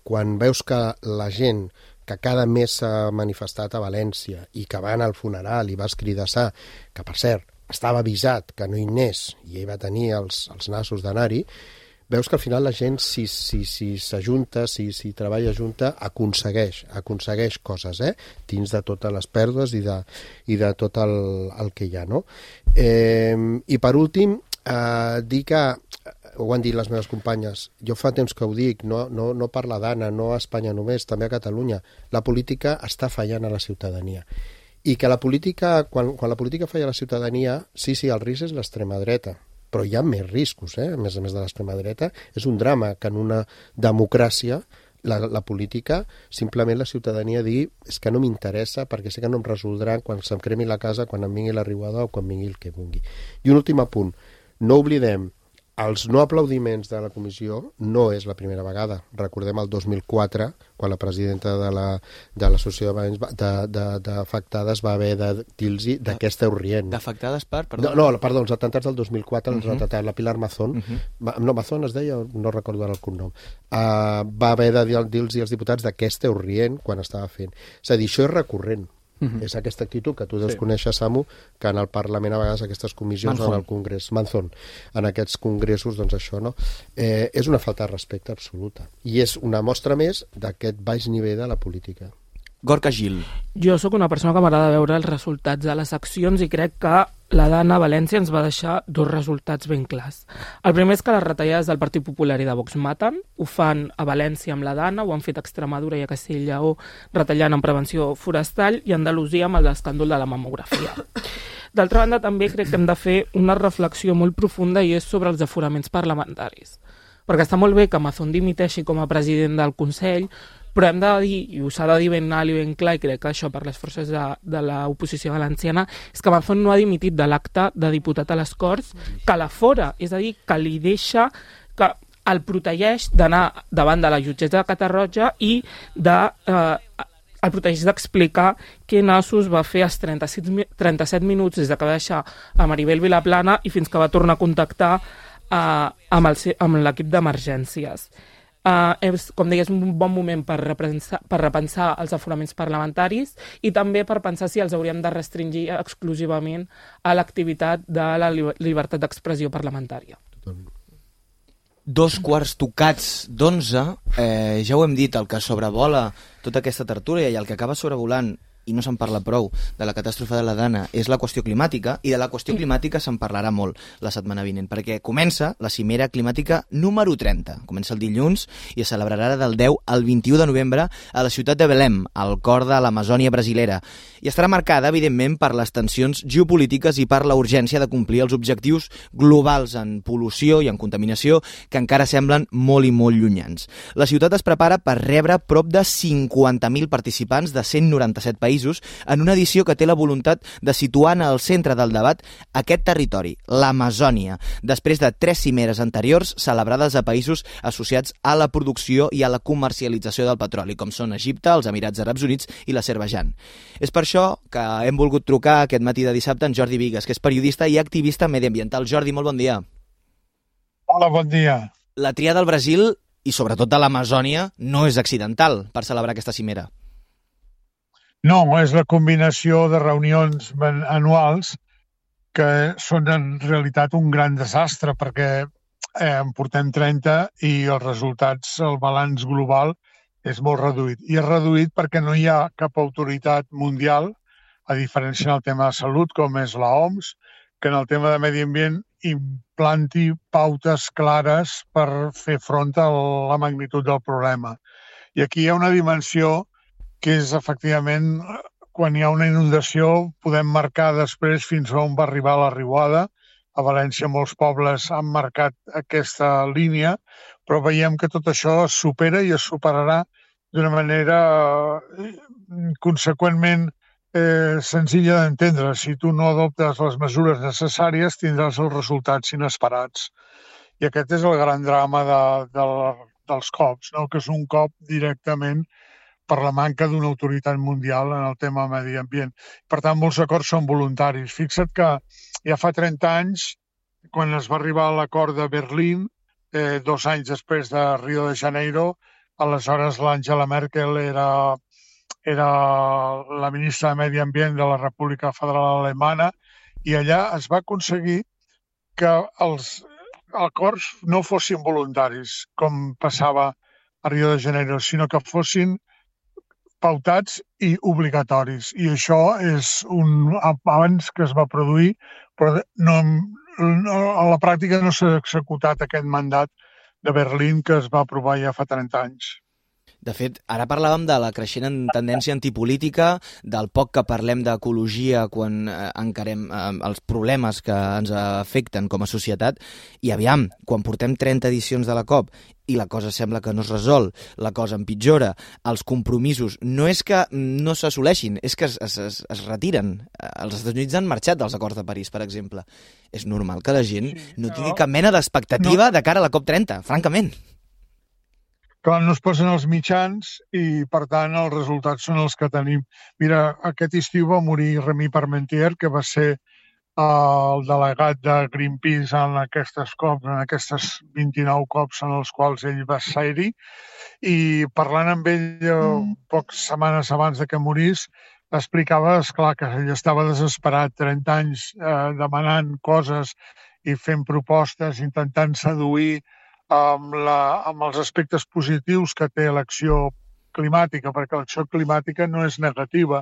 Speaker 3: Quan veus que la gent que cada mes s'ha manifestat a València i que va anar al funeral i va escridassar, que per cert estava avisat que no hi anés i ell va tenir els nassos d'anar-hi, veus que al final la gent, si s'ajunta, si treballa junta, aconsegueix coses, dins de totes les pèrdues i de tot el que hi ha, no? I per últim, dir que, ho han dit les meves companyes, jo fa temps que ho dic, no per la Dana, no a Espanya només, també a Catalunya, la política està fallant a la ciutadania. I que la política, quan la política falla a la ciutadania, sí, el risc és l'extrema dreta, però hi ha més riscos, a més de l'extrema dreta. És un drama que en una democràcia la política, simplement la ciutadania digui és que no m'interessa perquè sé que no em resoldran quan se'm cremi la casa, quan em vingui la riuada o quan vingui el que vingui. I un últim apunt, no oblidem, els no aplaudiments de la comissió no és la primera vegada. Recordem el 2004, quan la presidenta de l'associació d'afectades va haver de dir-los de què esteu rient.
Speaker 2: D'afectades per? Perdó.
Speaker 3: No, perdó, els atemptats del 2004, la Pilar Mazón, no, Mazón es deia, no recordo ara el cognom, va haver de dir-los als diputats de què esteu rient quan estava fent. És a dir, això és recurrent. És aquesta actitud que tu deus conèixer, Samu, que en el Parlament a vegades aquestes comissions en el Congrés, Manzón, en aquests congressos, doncs això, no? És una falta de respecte absoluta. I és una mostra més d'aquest baix nivell de la política.
Speaker 2: Gorka Gil.
Speaker 7: Jo sóc una persona que m'agrada veure els resultats de les accions i crec que la Dana a València ens va deixar dos resultats ben clars. El primer és que les retallades del Partit Popular i de Vox maten, ho fan a València amb la Dana, ho han fet a Extremadura i a Castella i Lleó retallant en prevenció forestal i a Andalusia amb l'escàndol de la mamografia. D'altra banda, també crec que hem de fer una reflexió molt profunda i és sobre els aforaments parlamentaris. Perquè està molt bé que Mazón dimiteixi com a president del Consell, però hem de dir, i ho s'ha de dir ben alt i ben clar, i crec que això per les forces de l'oposició valenciana, és que Mazón no ha dimitit de l'acte de diputat a les Corts, que l'afora, és a dir, que li deixa, que el protegeix d'anar davant de la jutgessa de Catarroja i el protegeix d'explicar què nassos va fer els 37 minuts des que va deixar a Maribel Vilaplana i fins que va tornar a contactar amb l'equip d'emergències. Com deia, és un bon moment per repensar els aforaments parlamentaris i també per pensar si els hauríem de restringir exclusivament a l'activitat de la llibertat d'expressió parlamentària.
Speaker 2: 11:15, ja ho hem dit, el que sobrevola tota aquesta tertúlia i el que acaba sobrevolant, i no se'n parla prou, de la catàstrofe de la Dana és la qüestió climàtica, i de la qüestió climàtica se'n parlarà molt la setmana vinent, perquè comença la cimera climàtica número 30. Comença el dilluns i es celebrarà del 10 al 21 de novembre a la ciutat de Belém, al cor de l'Amazònia brasilera, i estarà marcada, evidentment, per les tensions geopolítiques i per la urgència de complir els objectius globals en pol·lució i en contaminació que encara semblen molt i molt llunyans. La ciutat es prepara per rebre prop de 50.000 participants de 197 països en una edició que té la voluntat de situar en el centre del debat aquest territori, l'Amazònia, després de 3 cimeres anteriors celebrades a països associats a la producció i a la comercialització del petroli, com són Egipte, els Emirats Àrabs Units i l'Azerbaidjan. És per això que hem volgut trucar aquest matí de dissabte en Jordi Vigues, que és periodista i activista mediambiental. Jordi, molt bon dia.
Speaker 16: Hola, bon dia.
Speaker 2: La tria del Brasil i sobretot de l'Amazònia no és accidental per celebrar aquesta cimera.
Speaker 16: No, és la combinació de reunions anuals que són en realitat un gran desastre perquè en portem 30 i els resultats, el balanç global és molt reduït. I és reduït perquè no hi ha cap autoritat mundial, a diferència en el tema de salut, com és l'OMS, que en el tema de medi ambient implanti pautes clares per fer front a la magnitud del problema. I aquí hi ha una dimensió que és, efectivament, quan hi ha una inundació, podem marcar després fins on va arribar la riuada. A València molts pobles han marcat aquesta línia, però veiem que tot això es supera i es superarà d'una manera conseqüentment senzilla d'entendre. Si tu no adoptes les mesures necessàries, tindràs els resultats inesperats. I aquest és el gran drama dels COPs, no? Que és un cop directament per la manca d'una autoritat mundial en el tema medi ambient. Per tant, molts acords són voluntaris. Fixa't que ja fa 30 anys, quan es va arribar a l'acord de Berlín, 2 anys després de Rio de Janeiro, aleshores l'Angela Merkel era la ministra de Medi Ambient de la República Federal Alemana, i allà es va aconseguir que els acords no fossin voluntaris, com passava a Rio de Janeiro, sinó que fossin pautats i obligatoris. I això és un avanç que es va produir, però a la pràctica no s'ha executat aquest mandat de Berlín que es va aprovar ja fa 30 anys.
Speaker 2: De fet, ara parlàvem de la creixent tendència antipolítica, del poc que parlem d'ecologia quan encarem els problemes que ens afecten com a societat, i aviam, quan portem 30 edicions de la COP i la cosa sembla que no es resol, la cosa empitjora, els compromisos no és que no s'assoleixin, és que es retiren. Els Estats Units han marxat dels acords de París, per exemple. És normal que la gent no tingui cap mena d'expectativa de cara a la COP30, francament.
Speaker 16: Clar, no es posen els mitjans i, per tant, els resultats són els que tenim. Mira, aquest estiu va morir Rémy Parmentier, que va ser el delegat de Greenpeace en aquestes COPs, en aquestes 29 COPs en els quals ell va ser-hi, i parlant amb ell poques setmanes abans de que morís, explicava, esclar, que ell estava desesperat, 30 anys demanant coses i fent propostes, intentant seduir amb els aspectes positius que té l'acció climàtica, perquè l'acció climàtica no és negativa.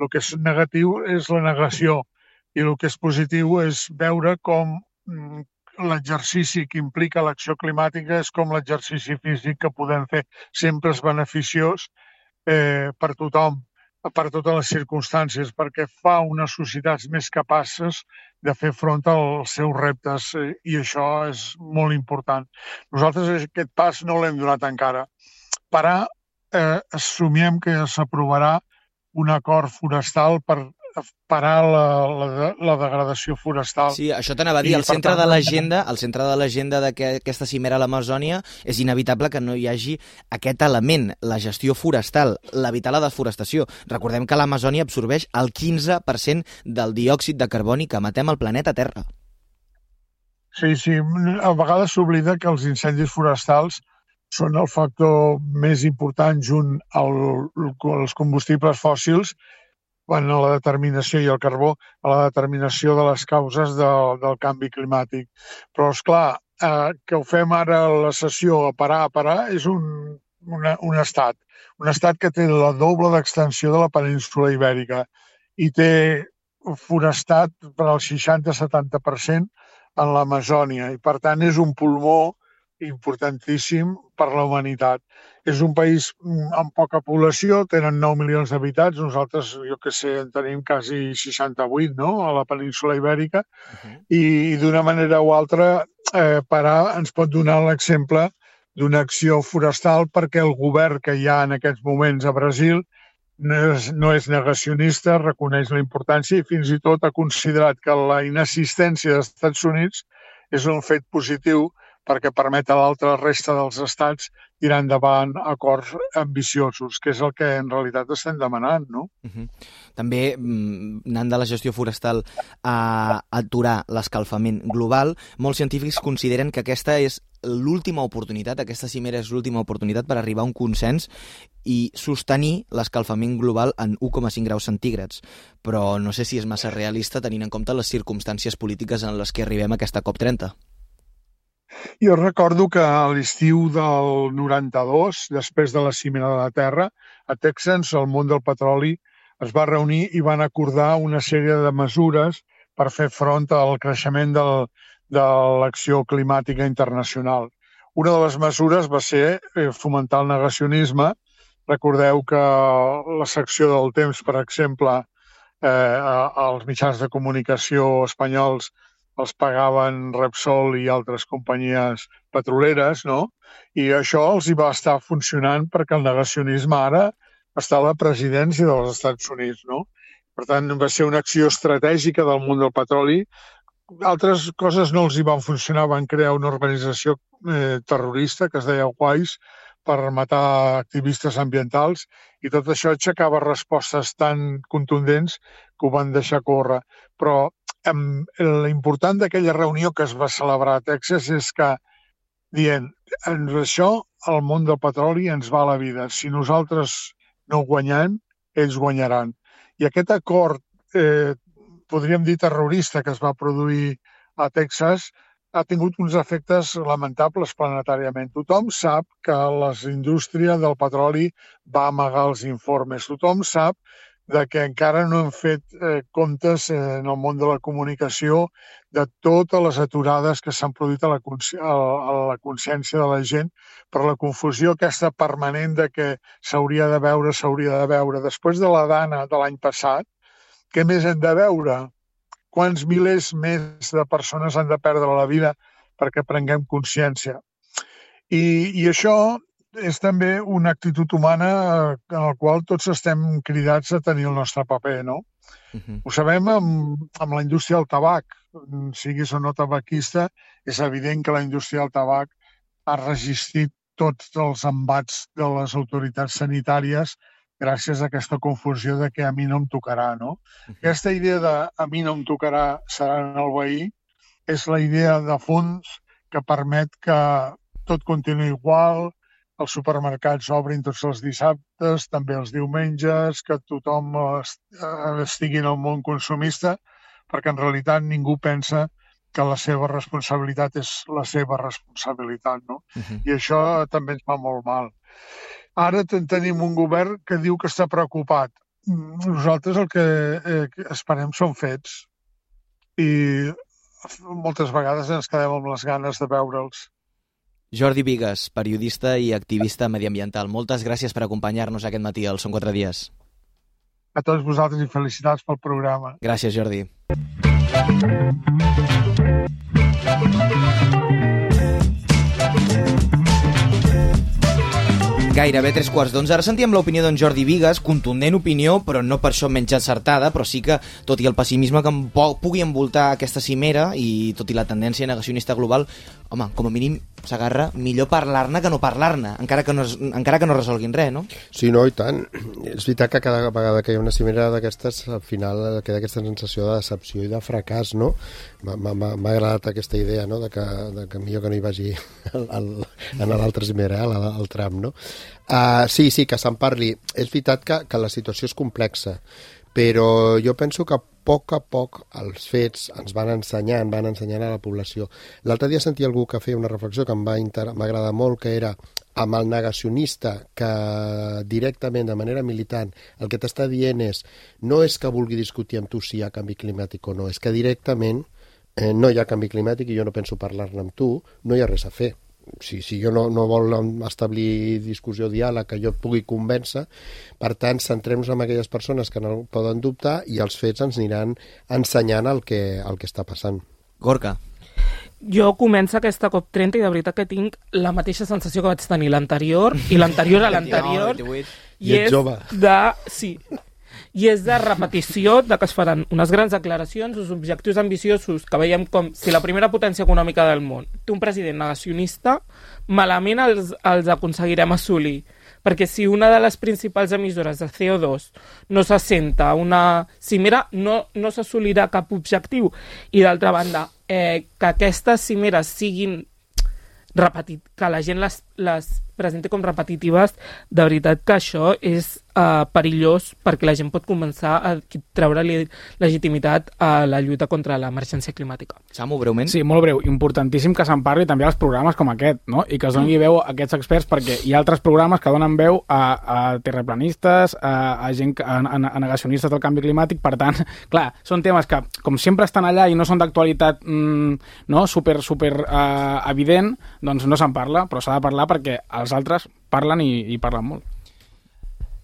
Speaker 16: El que és negatiu és la negació i el que és positiu és veure com l'exercici que implica l'acció climàtica és com l'exercici físic que podem fer. Sempre és beneficiós per tothom, per totes les circumstàncies, perquè fa unes societats més capaces de fer front als seus reptes, i això és molt important. Nosaltres aquest pas no l'hem donat encara. Per ara assumiem que s'aprovarà un acord forestal per parar la degradació forestal.
Speaker 2: Sí, això t'anava a dir, el centre de l'agenda d'aquesta cimera a l'Amazònia és inevitable que no hi hagi aquest element, la gestió forestal, l'evitar la desforestació. Recordem que l'Amazònia absorbeix el 15% del diòxid de carboni que emetem al planeta Terra.
Speaker 16: Sí, a vegades s'oblida que els incendis forestals són el factor més important junt als combustibles fòssils a la determinació, i el carbó, a la determinació de les causes del canvi climàtic. Però, esclar, que ho fem ara a la sessió a parar, és un estat que té la doble d'extensió de la península ibèrica i té forestat per al 60-70% en l'Amazònia, i per tant és un pulmó importantíssim per la humanitat. És un país amb poca població, tenen 9 milions d'habitants, nosaltres, jo què sé, en tenim quasi 68, no?, a la península ibèrica, i d'una manera o altra parar ens pot donar l'exemple d'una acció forestal perquè el govern que hi ha en aquests moments a Brasil no és negacionista, reconeix la importància i fins i tot ha considerat que la inassistència dels Estats Units és un fet positiu perquè permet a l'altra resta dels estats tirar endavant acords ambiciosos, que és el que en realitat estem demanant, no?
Speaker 2: També, anant de la gestió forestal a aturar l'escalfament global, molts científics consideren que aquesta és l'última oportunitat, aquesta cimera és l'última oportunitat per arribar a un consens i sostenir l'escalfament global en 1,5 graus centígrads. Però no sé si és massa realista tenint en compte les circumstàncies polítiques en les que arribem a aquesta COP30.
Speaker 16: Jo recordo que a l'estiu del 92, després de la Cimera de la Terra, a Texas, el món del petroli es va reunir i van acordar una sèrie de mesures per fer front al creixement de l'acció climàtica internacional. Una de les mesures va ser fomentar el negacionisme. Recordeu que la secció del Temps, per exemple, els mitjans de comunicació espanyols els pagaven Repsol i altres companyies petroleres, no? I això els hi va estar funcionant perquè el negacionisme ara està a la presidència dels Estats Units, no? Per tant, va ser una acció estratègica del món del petroli. Altres coses no els hi van funcionar, van crear una organització terrorista que es deia WISE per matar activistes ambientals i tot això aixecava respostes tan contundents que ho van deixar córrer. Però l'important d'aquella reunió que es va celebrar a Texas és que dient, això, el món del petroli ens va a la vida. Si nosaltres no guanyem, ells guanyaran. I aquest acord, podríem dir terrorista, que es va produir a Texas, ha tingut uns efectes lamentables planetàriament. Tothom sap que la indústria del petroli va amagar els informes. Tothom sap que encara no hem fet comptes en el món de la comunicació de totes les aturades que s'han produït a la consciència de la gent per la confusió aquesta permanent de que s'hauria de veure. Després de la Dana de l'any passat, què més hem de veure? Quants milers més de persones han de perdre la vida perquè prenguem consciència? I això és també una actitud humana en la qual tots estem cridats a tenir el nostre paper, no? Ho sabem amb la indústria del tabac. Siguis o no tabaquista, és evident que la indústria del tabac ha resistit tots els embats de les autoritats sanitàries gràcies a aquesta confusió de que a mi no em tocarà, no? Aquesta idea de a mi no em tocarà serà en el veí és la idea de fons que permet que tot continuï igual, els supermercats obrin tots els dissabtes, també els diumenges, que tothom estigui en el món consumista, perquè en realitat ningú pensa que la seva responsabilitat és la seva responsabilitat, no? I això també ens fa molt mal. Ara tenim un govern que diu que està preocupat. Nosaltres el que esperem són fets i moltes vegades ens quedem amb les ganes de veure'ls.
Speaker 2: Jordi Bigues, periodista i activista mediambiental. Moltes gràcies per acompanyar-nos aquest matí al Són 4 dies.
Speaker 16: A tots vosaltres i felicitats pel programa.
Speaker 2: Gràcies, Jordi. Gairebé 3:15. Ara sentíem l'opinió d'en Jordi Bigues, contundent opinió, però no per això menys encertada, però sí que, tot i el pessimisme que pugui envoltar aquesta cimera i tot i la tendència negacionista global, home, com a mínim s'agarra millor parlar-ne que no parlar-ne, encara que no resolguin res, no?
Speaker 3: Sí, no, i tant. És veritat que cada vegada que hi ha una cimera d'aquestes, al final queda aquesta sensació de decepció i de fracàs, no? M'ha agradat aquesta idea, no?, de que millor que no hi vagi a l'altra cimera, al tram, no? Sí, que se'n parli. És veritat que la situació és complexa, però jo penso que a poc els fets ens van ensenyant a la població. L'altre dia sentia algú que feia una reflexió que m'agrada molt, que era amb el negacionista que directament, de manera militant, el que t'està dient no és que vulgui discutir amb tu si hi ha canvi climàtic o no, és que directament no hi ha canvi climàtic i jo no penso parlar-ne amb tu, no hi ha res a fer. Si jo no vol establir discussió, diàleg, que jo et pugui convèncer, per tant, centrem-nos en aquelles persones que no poden dubtar i els fets ens aniran ensenyant el que està passant.
Speaker 2: Gorka.
Speaker 7: Jo començo aquesta COP30 i de veritat que tinc la mateixa sensació que vaig tenir l'anterior i l'anterior a l'anterior.
Speaker 3: I ets jove.
Speaker 7: I és de repetició de que es faran unes grans declaracions, uns objectius ambiciosos que veiem com si la primera potència econòmica del món té un president negacionista, malament els aconseguirem assolir. Perquè si una de les principals emissores de CO2 no s'assenta a una cimera, no s'assolirà cap objectiu. I d'altra banda, que aquestes cimeres siguin que la gent les presenti com repetitives, de veritat que això és perillós perquè la gent pot començar a treure-li legitimitat a la lluita contra l'emergència climàtica.
Speaker 2: Samu, breument?
Speaker 4: Sí, molt breu. Importantíssim que se'n parli també als programes com aquest, no? I que es doni veu a aquests experts, perquè hi ha altres programes que donen veu a terraplanistes, a gent, a negacionistes del canvi climàtic. Per tant, clar, són temes que, com sempre estan allà i no són d'actualitat super evident, doncs no se'n parla, però s'ha de parlar perquè els altres parlen i parlen molt.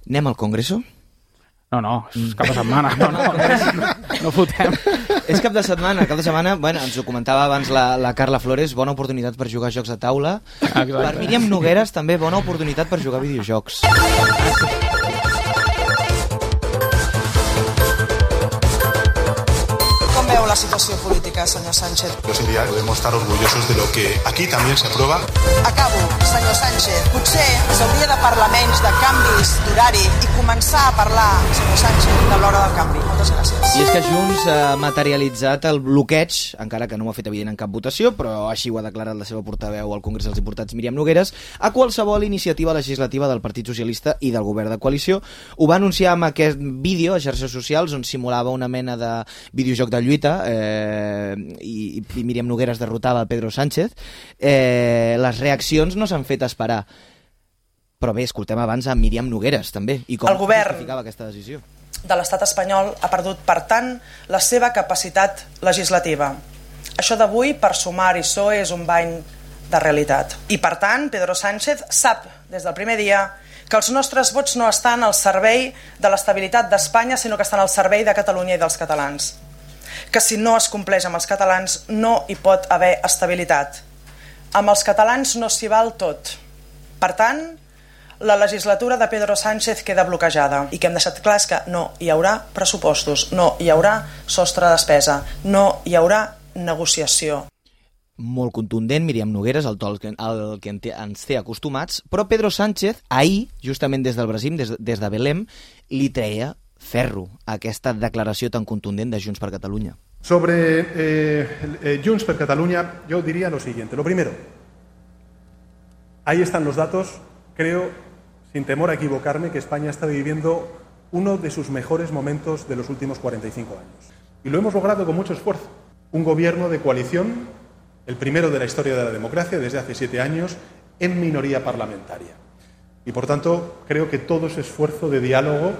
Speaker 2: Anem al Congreso?
Speaker 4: No, és cap de setmana. No fotem.
Speaker 2: És cap de setmana. Bueno, ens ho comentava abans la Carla Flores, bona oportunitat per jugar a jocs de taula.
Speaker 4: Exacte.
Speaker 2: Per Míriam Nogueres, també bona oportunitat per jugar a videojocs.
Speaker 5: Com veu la situació política, senyor Sánchez?
Speaker 17: Yo sería, podemos estar orgullosos de lo que aquí también se aprueba.
Speaker 5: Acabo, senyor Sánchez. Potser s'hauria de parlar menys de canvis d'horari i començar a parlar, senyor Sánchez, de l'hora del canvi. Moltes gràcies.
Speaker 2: I és que Junts ha materialitzat el bloqueig, encara que no ho ha fet evident en cap votació, però així ho ha declarat la seva portaveu al Congrés dels Diputats, Míriam Nogueres, a qualsevol iniciativa legislativa del Partit Socialista i del govern de coalició. Ho va anunciar amb aquest vídeo a xarxes socials on simulava una mena de videojoc de lluita i Míriam Nogueres derrotava a Pedro Sánchez. Les reaccions no s'han fet esperar. Però bé, escoltem abans a Míriam Nogueres, també, i com justificava aquesta decisió.
Speaker 5: De l'estat espanyol ha perdut, per tant, la seva capacitat legislativa. Això d'avui, per Sumar i PSOE, és un bany de realitat. I, per tant, Pedro Sánchez sap, des del primer dia, que els nostres vots no estan al servei de l'estabilitat d'Espanya, sinó que estan al servei de Catalunya i dels catalans. Que si no es compleix amb els catalans, no hi pot haver estabilitat. Amb els catalans no s'hi val tot. Per tant, la legislatura de Pedro Sánchez queda bloquejada i que hem deixat clar és que no hi haurà pressupostos, no hi haurà sostre de despesa, no hi haurà negociació.
Speaker 2: Molt contundent, Míriam Nogueres, el to al que ens té acostumats, però Pedro Sánchez, ahir, justament des del Brasil, des de Belém, li treia ferro a aquesta declaració tan contundent de Junts per Catalunya.
Speaker 17: Sobre Junts per Catalunya, yo diría lo siguiente. Lo primero, ahí están los datos. Creo, sin temor a equivocarme, que España está viviendo uno de sus mejores momentos de los últimos 45 años. Y lo hemos logrado con mucho esfuerzo. Un gobierno de coalición, el primero de la historia de la democracia, desde hace 7 años, en minoría parlamentaria. Y por tanto, creo que todo ese esfuerzo de diálogo,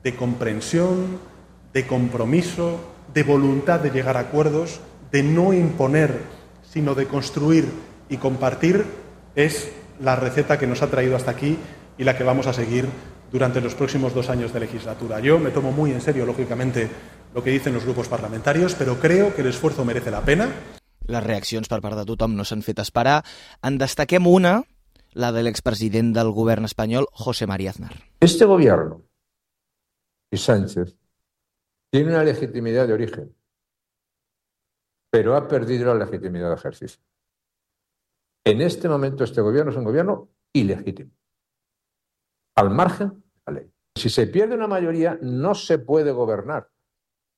Speaker 17: de comprensión, de compromiso, de voluntad de llegar a acuerdos, de no imponer, sino de construir y compartir, es la receta que nos ha traído hasta aquí y la que vamos a seguir durante los próximos 2 años de legislatura. Yo me tomo muy en serio, lógicamente, lo que dicen los grupos parlamentarios, pero creo que el esfuerzo merece la pena.
Speaker 2: Les reaccions per part de tothom no s'han fet esperar. En destaquem una, la de l'expresident del govern espanyol, José María Aznar.
Speaker 18: Este gobierno y Sánchez tiene una legitimidad de origen, pero ha perdido la legitimidad de ejercicio. En este momento este gobierno es un gobierno ilegítimo, al margen de la ley. Si se pierde una mayoría, no se puede gobernar,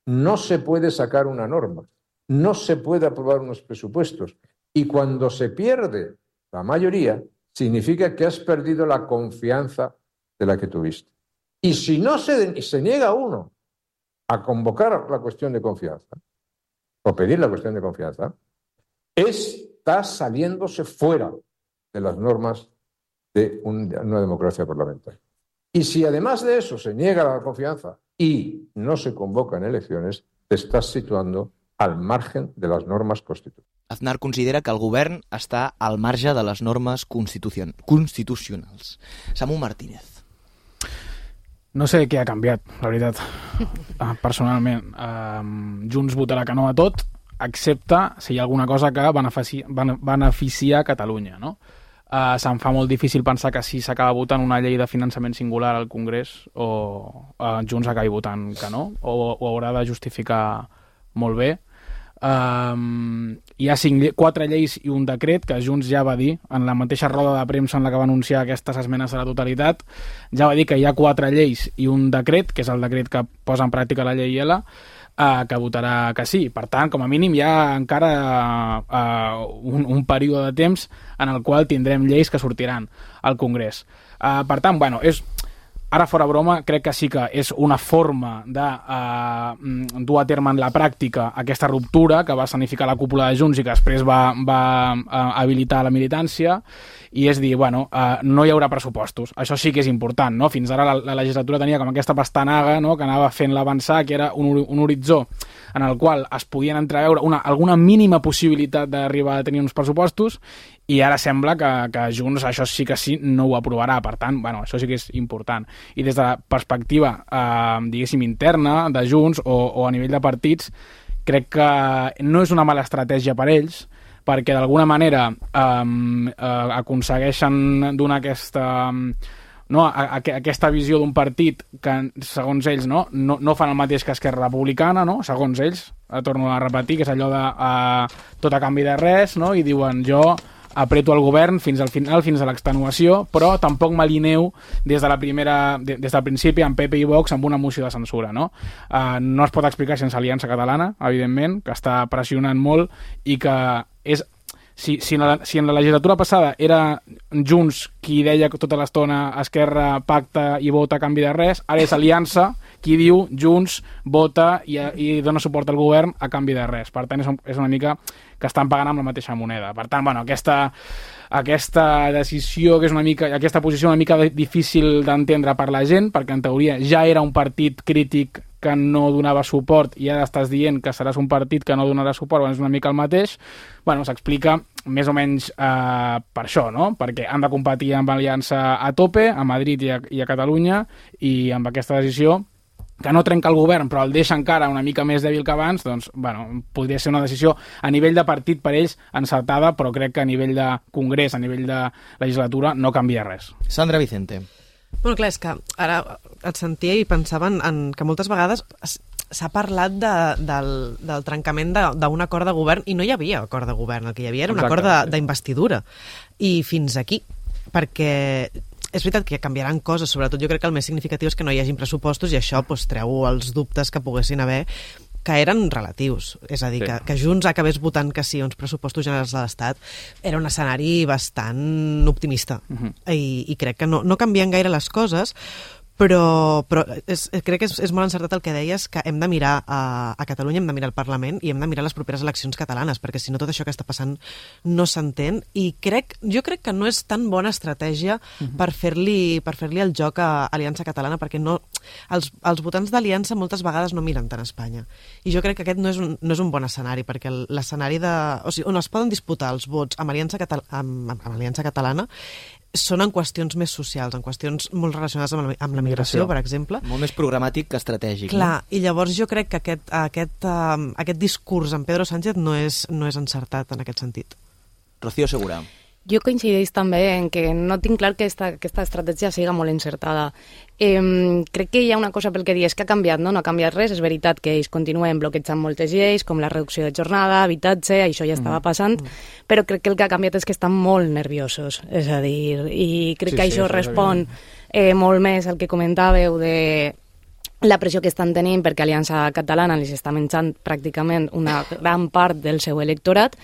Speaker 18: no se puede sacar una norma, no se puede aprobar unos presupuestos. Y cuando se pierde la mayoría, significa que has perdido la confianza de la que tuviste. Y si no se niega uno a convocar la cuestión de confianza, o pedir la cuestión de confianza, está saliéndose fuera de las normas de una democracia parlamentaria. Y si además de eso se niega la confianza y no se convocan elecciones, te estás situando al margen de las normas constitucionales.
Speaker 2: Aznar considera que el govern està al marge de les normes constitucionals. Samu Martínez.
Speaker 4: No sé què ha canviat, la veritat. Personalment, Junts votarà que no a tot, excepte si hi ha alguna cosa que beneficia Catalunya, no? Se'm fa molt difícil pensar que si s'acaba votant una llei de finançament singular al Congrés o Junts acabi votant que no, o ho haurà de justificar molt bé. Hi ha 4 lleis i un decret que Junts ja va dir en la mateixa roda de premsa en la que va anunciar aquestes esmenes a la totalitat, ja va dir que hi ha 4 lleis i un decret, que és el decret que posa en pràctica la llei L, que votarà que sí. Per tant, com a mínim hi ha encara un període de temps en el qual tindrem lleis que sortiran al Congrés. Per tant, bueno, ara fora broma, crec que sí que és una forma de dur a terme en la pràctica aquesta ruptura que va escenificar la cúpula de Junts i que després va habilitar la militància, i és dir, bueno, no hi haurà pressupostos. Això sí que és important, no? Fins ara la legislatura tenia com aquesta pastanaga, no?, que anava fent l'avançar, que era un horitzó en el qual es podien entreveure alguna mínima possibilitat d'arribar a tenir uns pressupostos, i ara sembla que Junts això sí que sí no ho aprovarà. Per tant, bueno, això sí que és important. I des de la perspectiva, diguéssim, interna de Junts o a nivell de partits, crec que no és una mala estratègia per ells, perquè d'alguna manera aconsegueixen donar aquesta visió d'un partit que, segons ells, no fan el mateix que Esquerra Republicana, no? Segons ells, torno a repetir, que és allò de tot a canvi de res, no? I diuen, jo apreto el govern fins al final, fins a l'extenuació, però tampoc m'alineu des del principi amb PP i Vox amb una moció de censura, no? No es pot explicar sense Aliança Catalana, evidentment, que està pressionant molt i que és... Si en la legislatura passada era Junts qui deia tota l'estona Esquerra pacta i vota a canvi de res, ara és Aliança qui diu Junts vota i dona suport al govern a canvi de res. Per tant, és una mica que estan pagant amb la mateixa moneda. Per tant, bueno, aquesta decisió, que és aquesta posició una mica difícil d'entendre per la gent, perquè en teoria ja era un partit crític que no donava suport i ara estàs dient que seràs un partit que no donarà suport, bueno, és una mica el mateix. Bueno, s'explica més o menys per això, no? Perquè han de competir amb Aliança a tope, a Madrid i a Catalunya, i amb aquesta decisió que no trenca el govern però el deixa encara una mica més dèbil que abans, doncs, bueno, podria ser una decisió a nivell de partit per ells encertada, però crec que a nivell de congrés, a nivell de legislatura, no canvia res.
Speaker 2: Sandra Vicente.
Speaker 5: Bueno, clar, és que ara et sentia i pensava en que moltes vegades s'ha parlat del trencament d'un acord de govern, i no hi havia acord de govern, el que hi havia era un acord d'investidura. I fins aquí, perquè és veritat que canviaran coses, sobretot jo crec que el més significatiu és que no hi hagin pressupostos, i això treu els dubtes que poguessin haver, que eren relatius. És a dir, que Junts acabés votant que sí a uns pressupostos generals de l'Estat era un escenari bastant optimista. I crec que no canvien gaire les coses, però crec que és molt encertat el que deies, que hem de mirar a Catalunya, hem de mirar al Parlament i hem de mirar les properes eleccions catalanes, perquè si no tot això que està passant no s'entén, i jo crec que no és tan bona estratègia per fer-li el joc a Aliança Catalana, perquè els votants d'Aliança moltes vegades no miren tant a Espanya, i jo crec que aquest no és un bon escenari, perquè l'escenari on es poden disputar els vots amb Aliança Catalana són en qüestions més socials, en qüestions molt relacionades amb la migració, per exemple.
Speaker 2: Molt més programàtic que estratègic.
Speaker 5: Clar, i llavors jo crec que aquest discurs amb Pedro Sánchez no és encertat en aquest sentit.
Speaker 2: Rocío Segura.
Speaker 6: Jo coincideix també en que no tinc clar que aquesta estratègia siga molt encertada. Crec que hi ha una cosa pel que dius que ha canviat, no ha canviat res. És veritat que ells continuen bloquejant moltes lleis, com la reducció de jornada, habitatge, això ja estava passant, però crec que el que ha canviat és que estan molt nerviosos. És a dir, i crec que això respon molt més al que comentàveu de la pressió que estan tenint, perquè Aliança Catalana els està menjant pràcticament una gran part del seu electorat.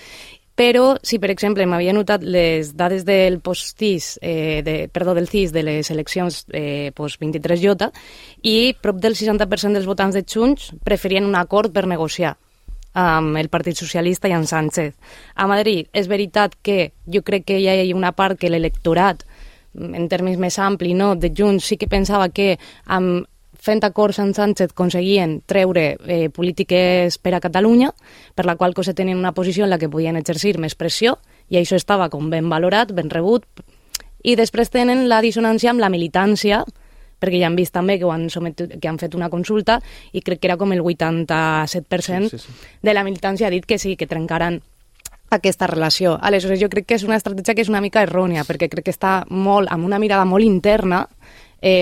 Speaker 6: Però, si per exemple m'havia notat les dades del post-CIS, del CIS de les eleccions post-23J, i prop del 60% dels votants de Junts preferien un acord per negociar amb el Partit Socialista i amb Sánchez. A Madrid és veritat que jo crec que hi ha una part que l'electorat, en termes més ampli, de Junts, sí que pensava que amb fent acords amb Sánchez aconseguien treure polítiques per a Catalunya, per la qual cosa tenien una posició en la que podien exercir més pressió, i això estava com ben valorat, ben rebut. I després tenen la dissonància amb la militància, perquè ja han vist també que han fet una consulta, i crec que era com el 87% de la militància ha dit que sí, que trencaran aquesta relació. Aleshores, jo crec que és una estratègia que és una mica errònia, perquè crec que està molt amb una mirada molt interna,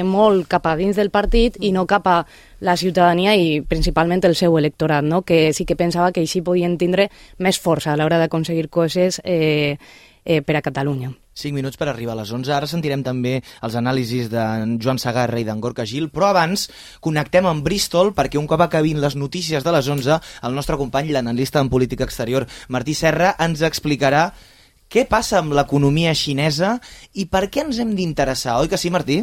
Speaker 6: molt cap a dins del partit i no cap a la ciutadania i principalment el seu electorat, no? Que sí que pensava que així podien tindre més força a l'hora d'aconseguir coses per a Catalunya.
Speaker 2: 5 minuts per arribar a les 11. Ara sentirem també els anàlisis d'en Joan Segarra i d'en Gorka Gil, però abans connectem amb Bristol perquè un cop acabin les notícies de les 11, el nostre company, l'analista en política exterior, Martí Serra, ens explicarà què passa amb l'economia xinesa i per què ens hem d'interessar. Oi que sí, Martí?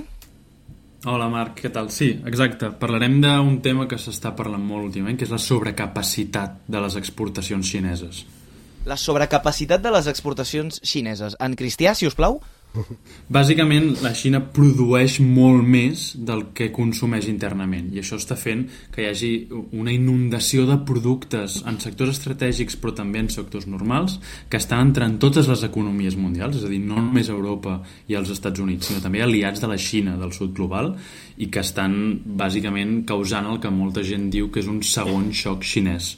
Speaker 19: Hola Marc, què tal? Sí, exacte. Parlarem d'un tema que s'està parlant molt últimament, que és la sobrecapacitat de les exportacions xineses.
Speaker 2: La sobrecapacitat de les exportacions xineses. En cristià, si us plau?
Speaker 19: Bàsicament, la Xina produeix molt més del que consumeix internament i això està fent que hi hagi una inundació de productes en sectors estratègics però també en sectors normals que estan entrant totes les economies mundials, és a dir, no només Europa i els Estats Units, sinó també aliats de la Xina del sud global i que estan bàsicament causant el que molta gent diu que és un segon xoc xinès,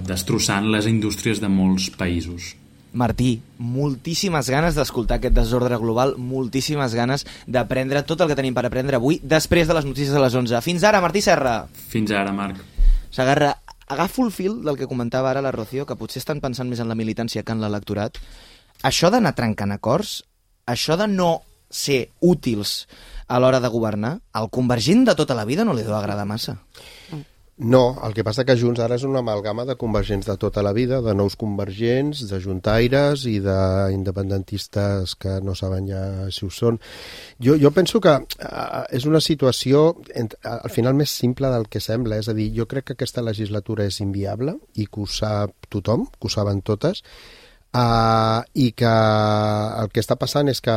Speaker 19: destrossant les indústries de molts països.
Speaker 2: Martí, moltíssimes ganes d'escoltar aquest desordre global, moltíssimes ganes d'aprendre tot el que tenim per aprendre avui després de les notícies de les 11. Fins ara, Martí Serra.
Speaker 19: Fins ara, Marc.
Speaker 2: Segarra, agafo el fil del que comentava ara la Rocío, que potser estan pensant més en la militància que en l'electorat. Això d'anar trencant acords, això de no ser útils a l'hora de governar, al convergent de tota la vida no li deu agradar massa.
Speaker 3: No, el que passa que Junts ara és una amalgama de convergents de tota la vida, de nous convergents, de juntaires i d'independentistes que no saben ja si ho són. Jo penso que és una situació al final més simple del que sembla, és a dir, jo crec que aquesta legislatura és inviable i que ho sap tothom, que ho saben totes, i que el que està passant és que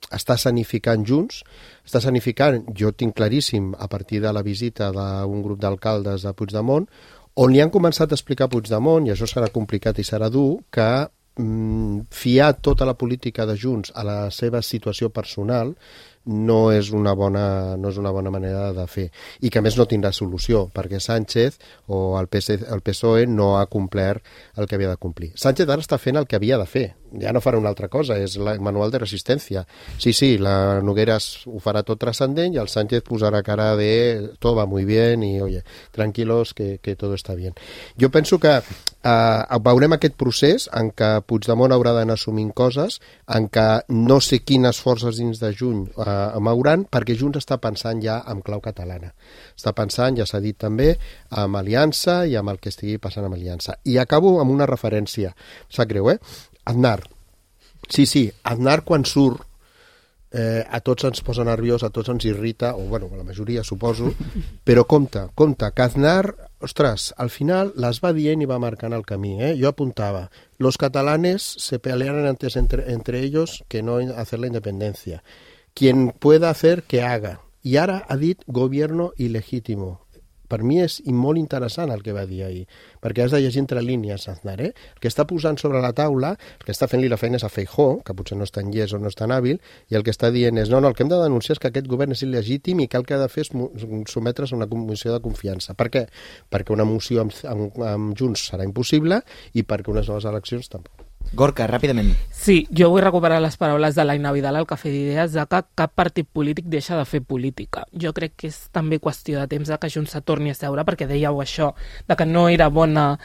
Speaker 3: està escenificant Junts, està escenificant, jo tinc claríssim, a partir de la visita d'un grup d'alcaldes a Puigdemont, on li han començat a explicar a Puigdemont, i això serà complicat i serà dur, que fiar tota la política de Junts a la seva situació personal no és una bona manera de fer, i que a més no tindrà solució, perquè Sánchez o el PSOE no ha complert el que havia de complir. Sánchez ara està fent el que havia de fer, ja no farà una altra cosa, és el manual de resistència. Sí, la Nogueras ho farà tot transcendent i el Sánchez posarà cara de todo va muy bien i oye, tranquilos que todo está bien. Jo penso que veurem aquest procés en què Puigdemont haurà d'anar assumint coses, en què no sé quines forces dins de Junts mouran, perquè Junts està pensant ja en clau catalana. Està pensant, ja s'ha dit també, amb Aliança i amb el que estigui passant amb Aliança. I acabo amb una referència. Sap greu, Aznar. Sí, Aznar quan surt a tots ens posa nerviós, a tots ens irrita, o bueno, a la majoria suposo, però compte, que Aznar, ostres, al final les va dient i va marcant el camí, Jo apuntava, los catalanes se pelearon antes entre ellos que no hacer la independencia. Quien pueda hacer, que haga. I ara ha dit gobierno ilegítimo. Per mi és molt interessant el que va dir ahir, perquè has de llegir entre línies, Aznar, El que està posant sobre la taula, el que està fent-li la feina és a Feijóo, que potser no és tan llest o no és tan hàbil, i el que està dient és, no, el que hem de denunciar és que aquest govern és il·legítim i que el que ha de fer és sotmetre's a una moció de confiança. Per què? Perquè una moció amb Junts serà impossible i perquè unes noves eleccions tampoc.
Speaker 2: Gorka, ràpidament.
Speaker 7: Sí, jo vull recuperar les paraules de l'Aina Vidal al Cafè d'Idees de que cap partit polític deixa de fer política. Jo crec que és també qüestió de temps que Junts se torni a seure, perquè dèieu això, de que no era bona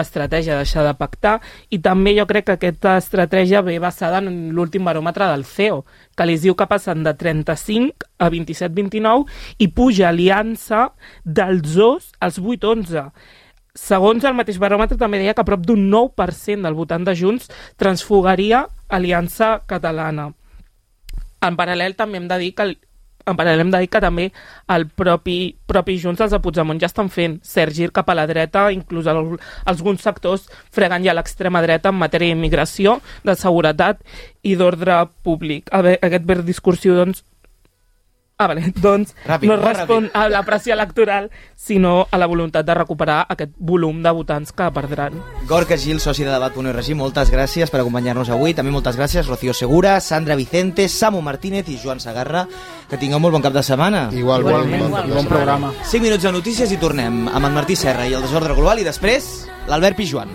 Speaker 7: estratègia deixar de pactar, i també jo crec que aquesta estratègia ve basada en l'últim baròmetre del CEO, que li diu que passen de 35 a 27-29 i puja Aliança dels 2 als 8-11. Segons el mateix baròmetre també deia que prop d'un 9% del votant de Junts transfugaria Aliança Catalana. En paral·lel també hem de dir que també el propi Junts, els de Puigdemont, ja estan fent cert gir cap a la dreta, inclús alguns sectors fregant ja l'extrema dreta en matèria d'immigració, de seguretat i d'ordre públic. Aquest verd discursiu, doncs, no respon a la pressió electoral, sinó a la voluntat de recuperar aquest volum de votants que perdran.
Speaker 2: Gorka Gil, soci de Debat.org, moltes gràcies per acompanyar-nos avui. També moltes gràcies Rocío Segura, Sandra Vicente, Samu Martínez i Joan Segarra. Que tingueu molt bon cap de setmana.
Speaker 3: Igualment.
Speaker 4: Bon programa.
Speaker 2: 5 minuts de notícies i tornem amb en Martí Serra i el desordre global i després l'Albert Pijuan.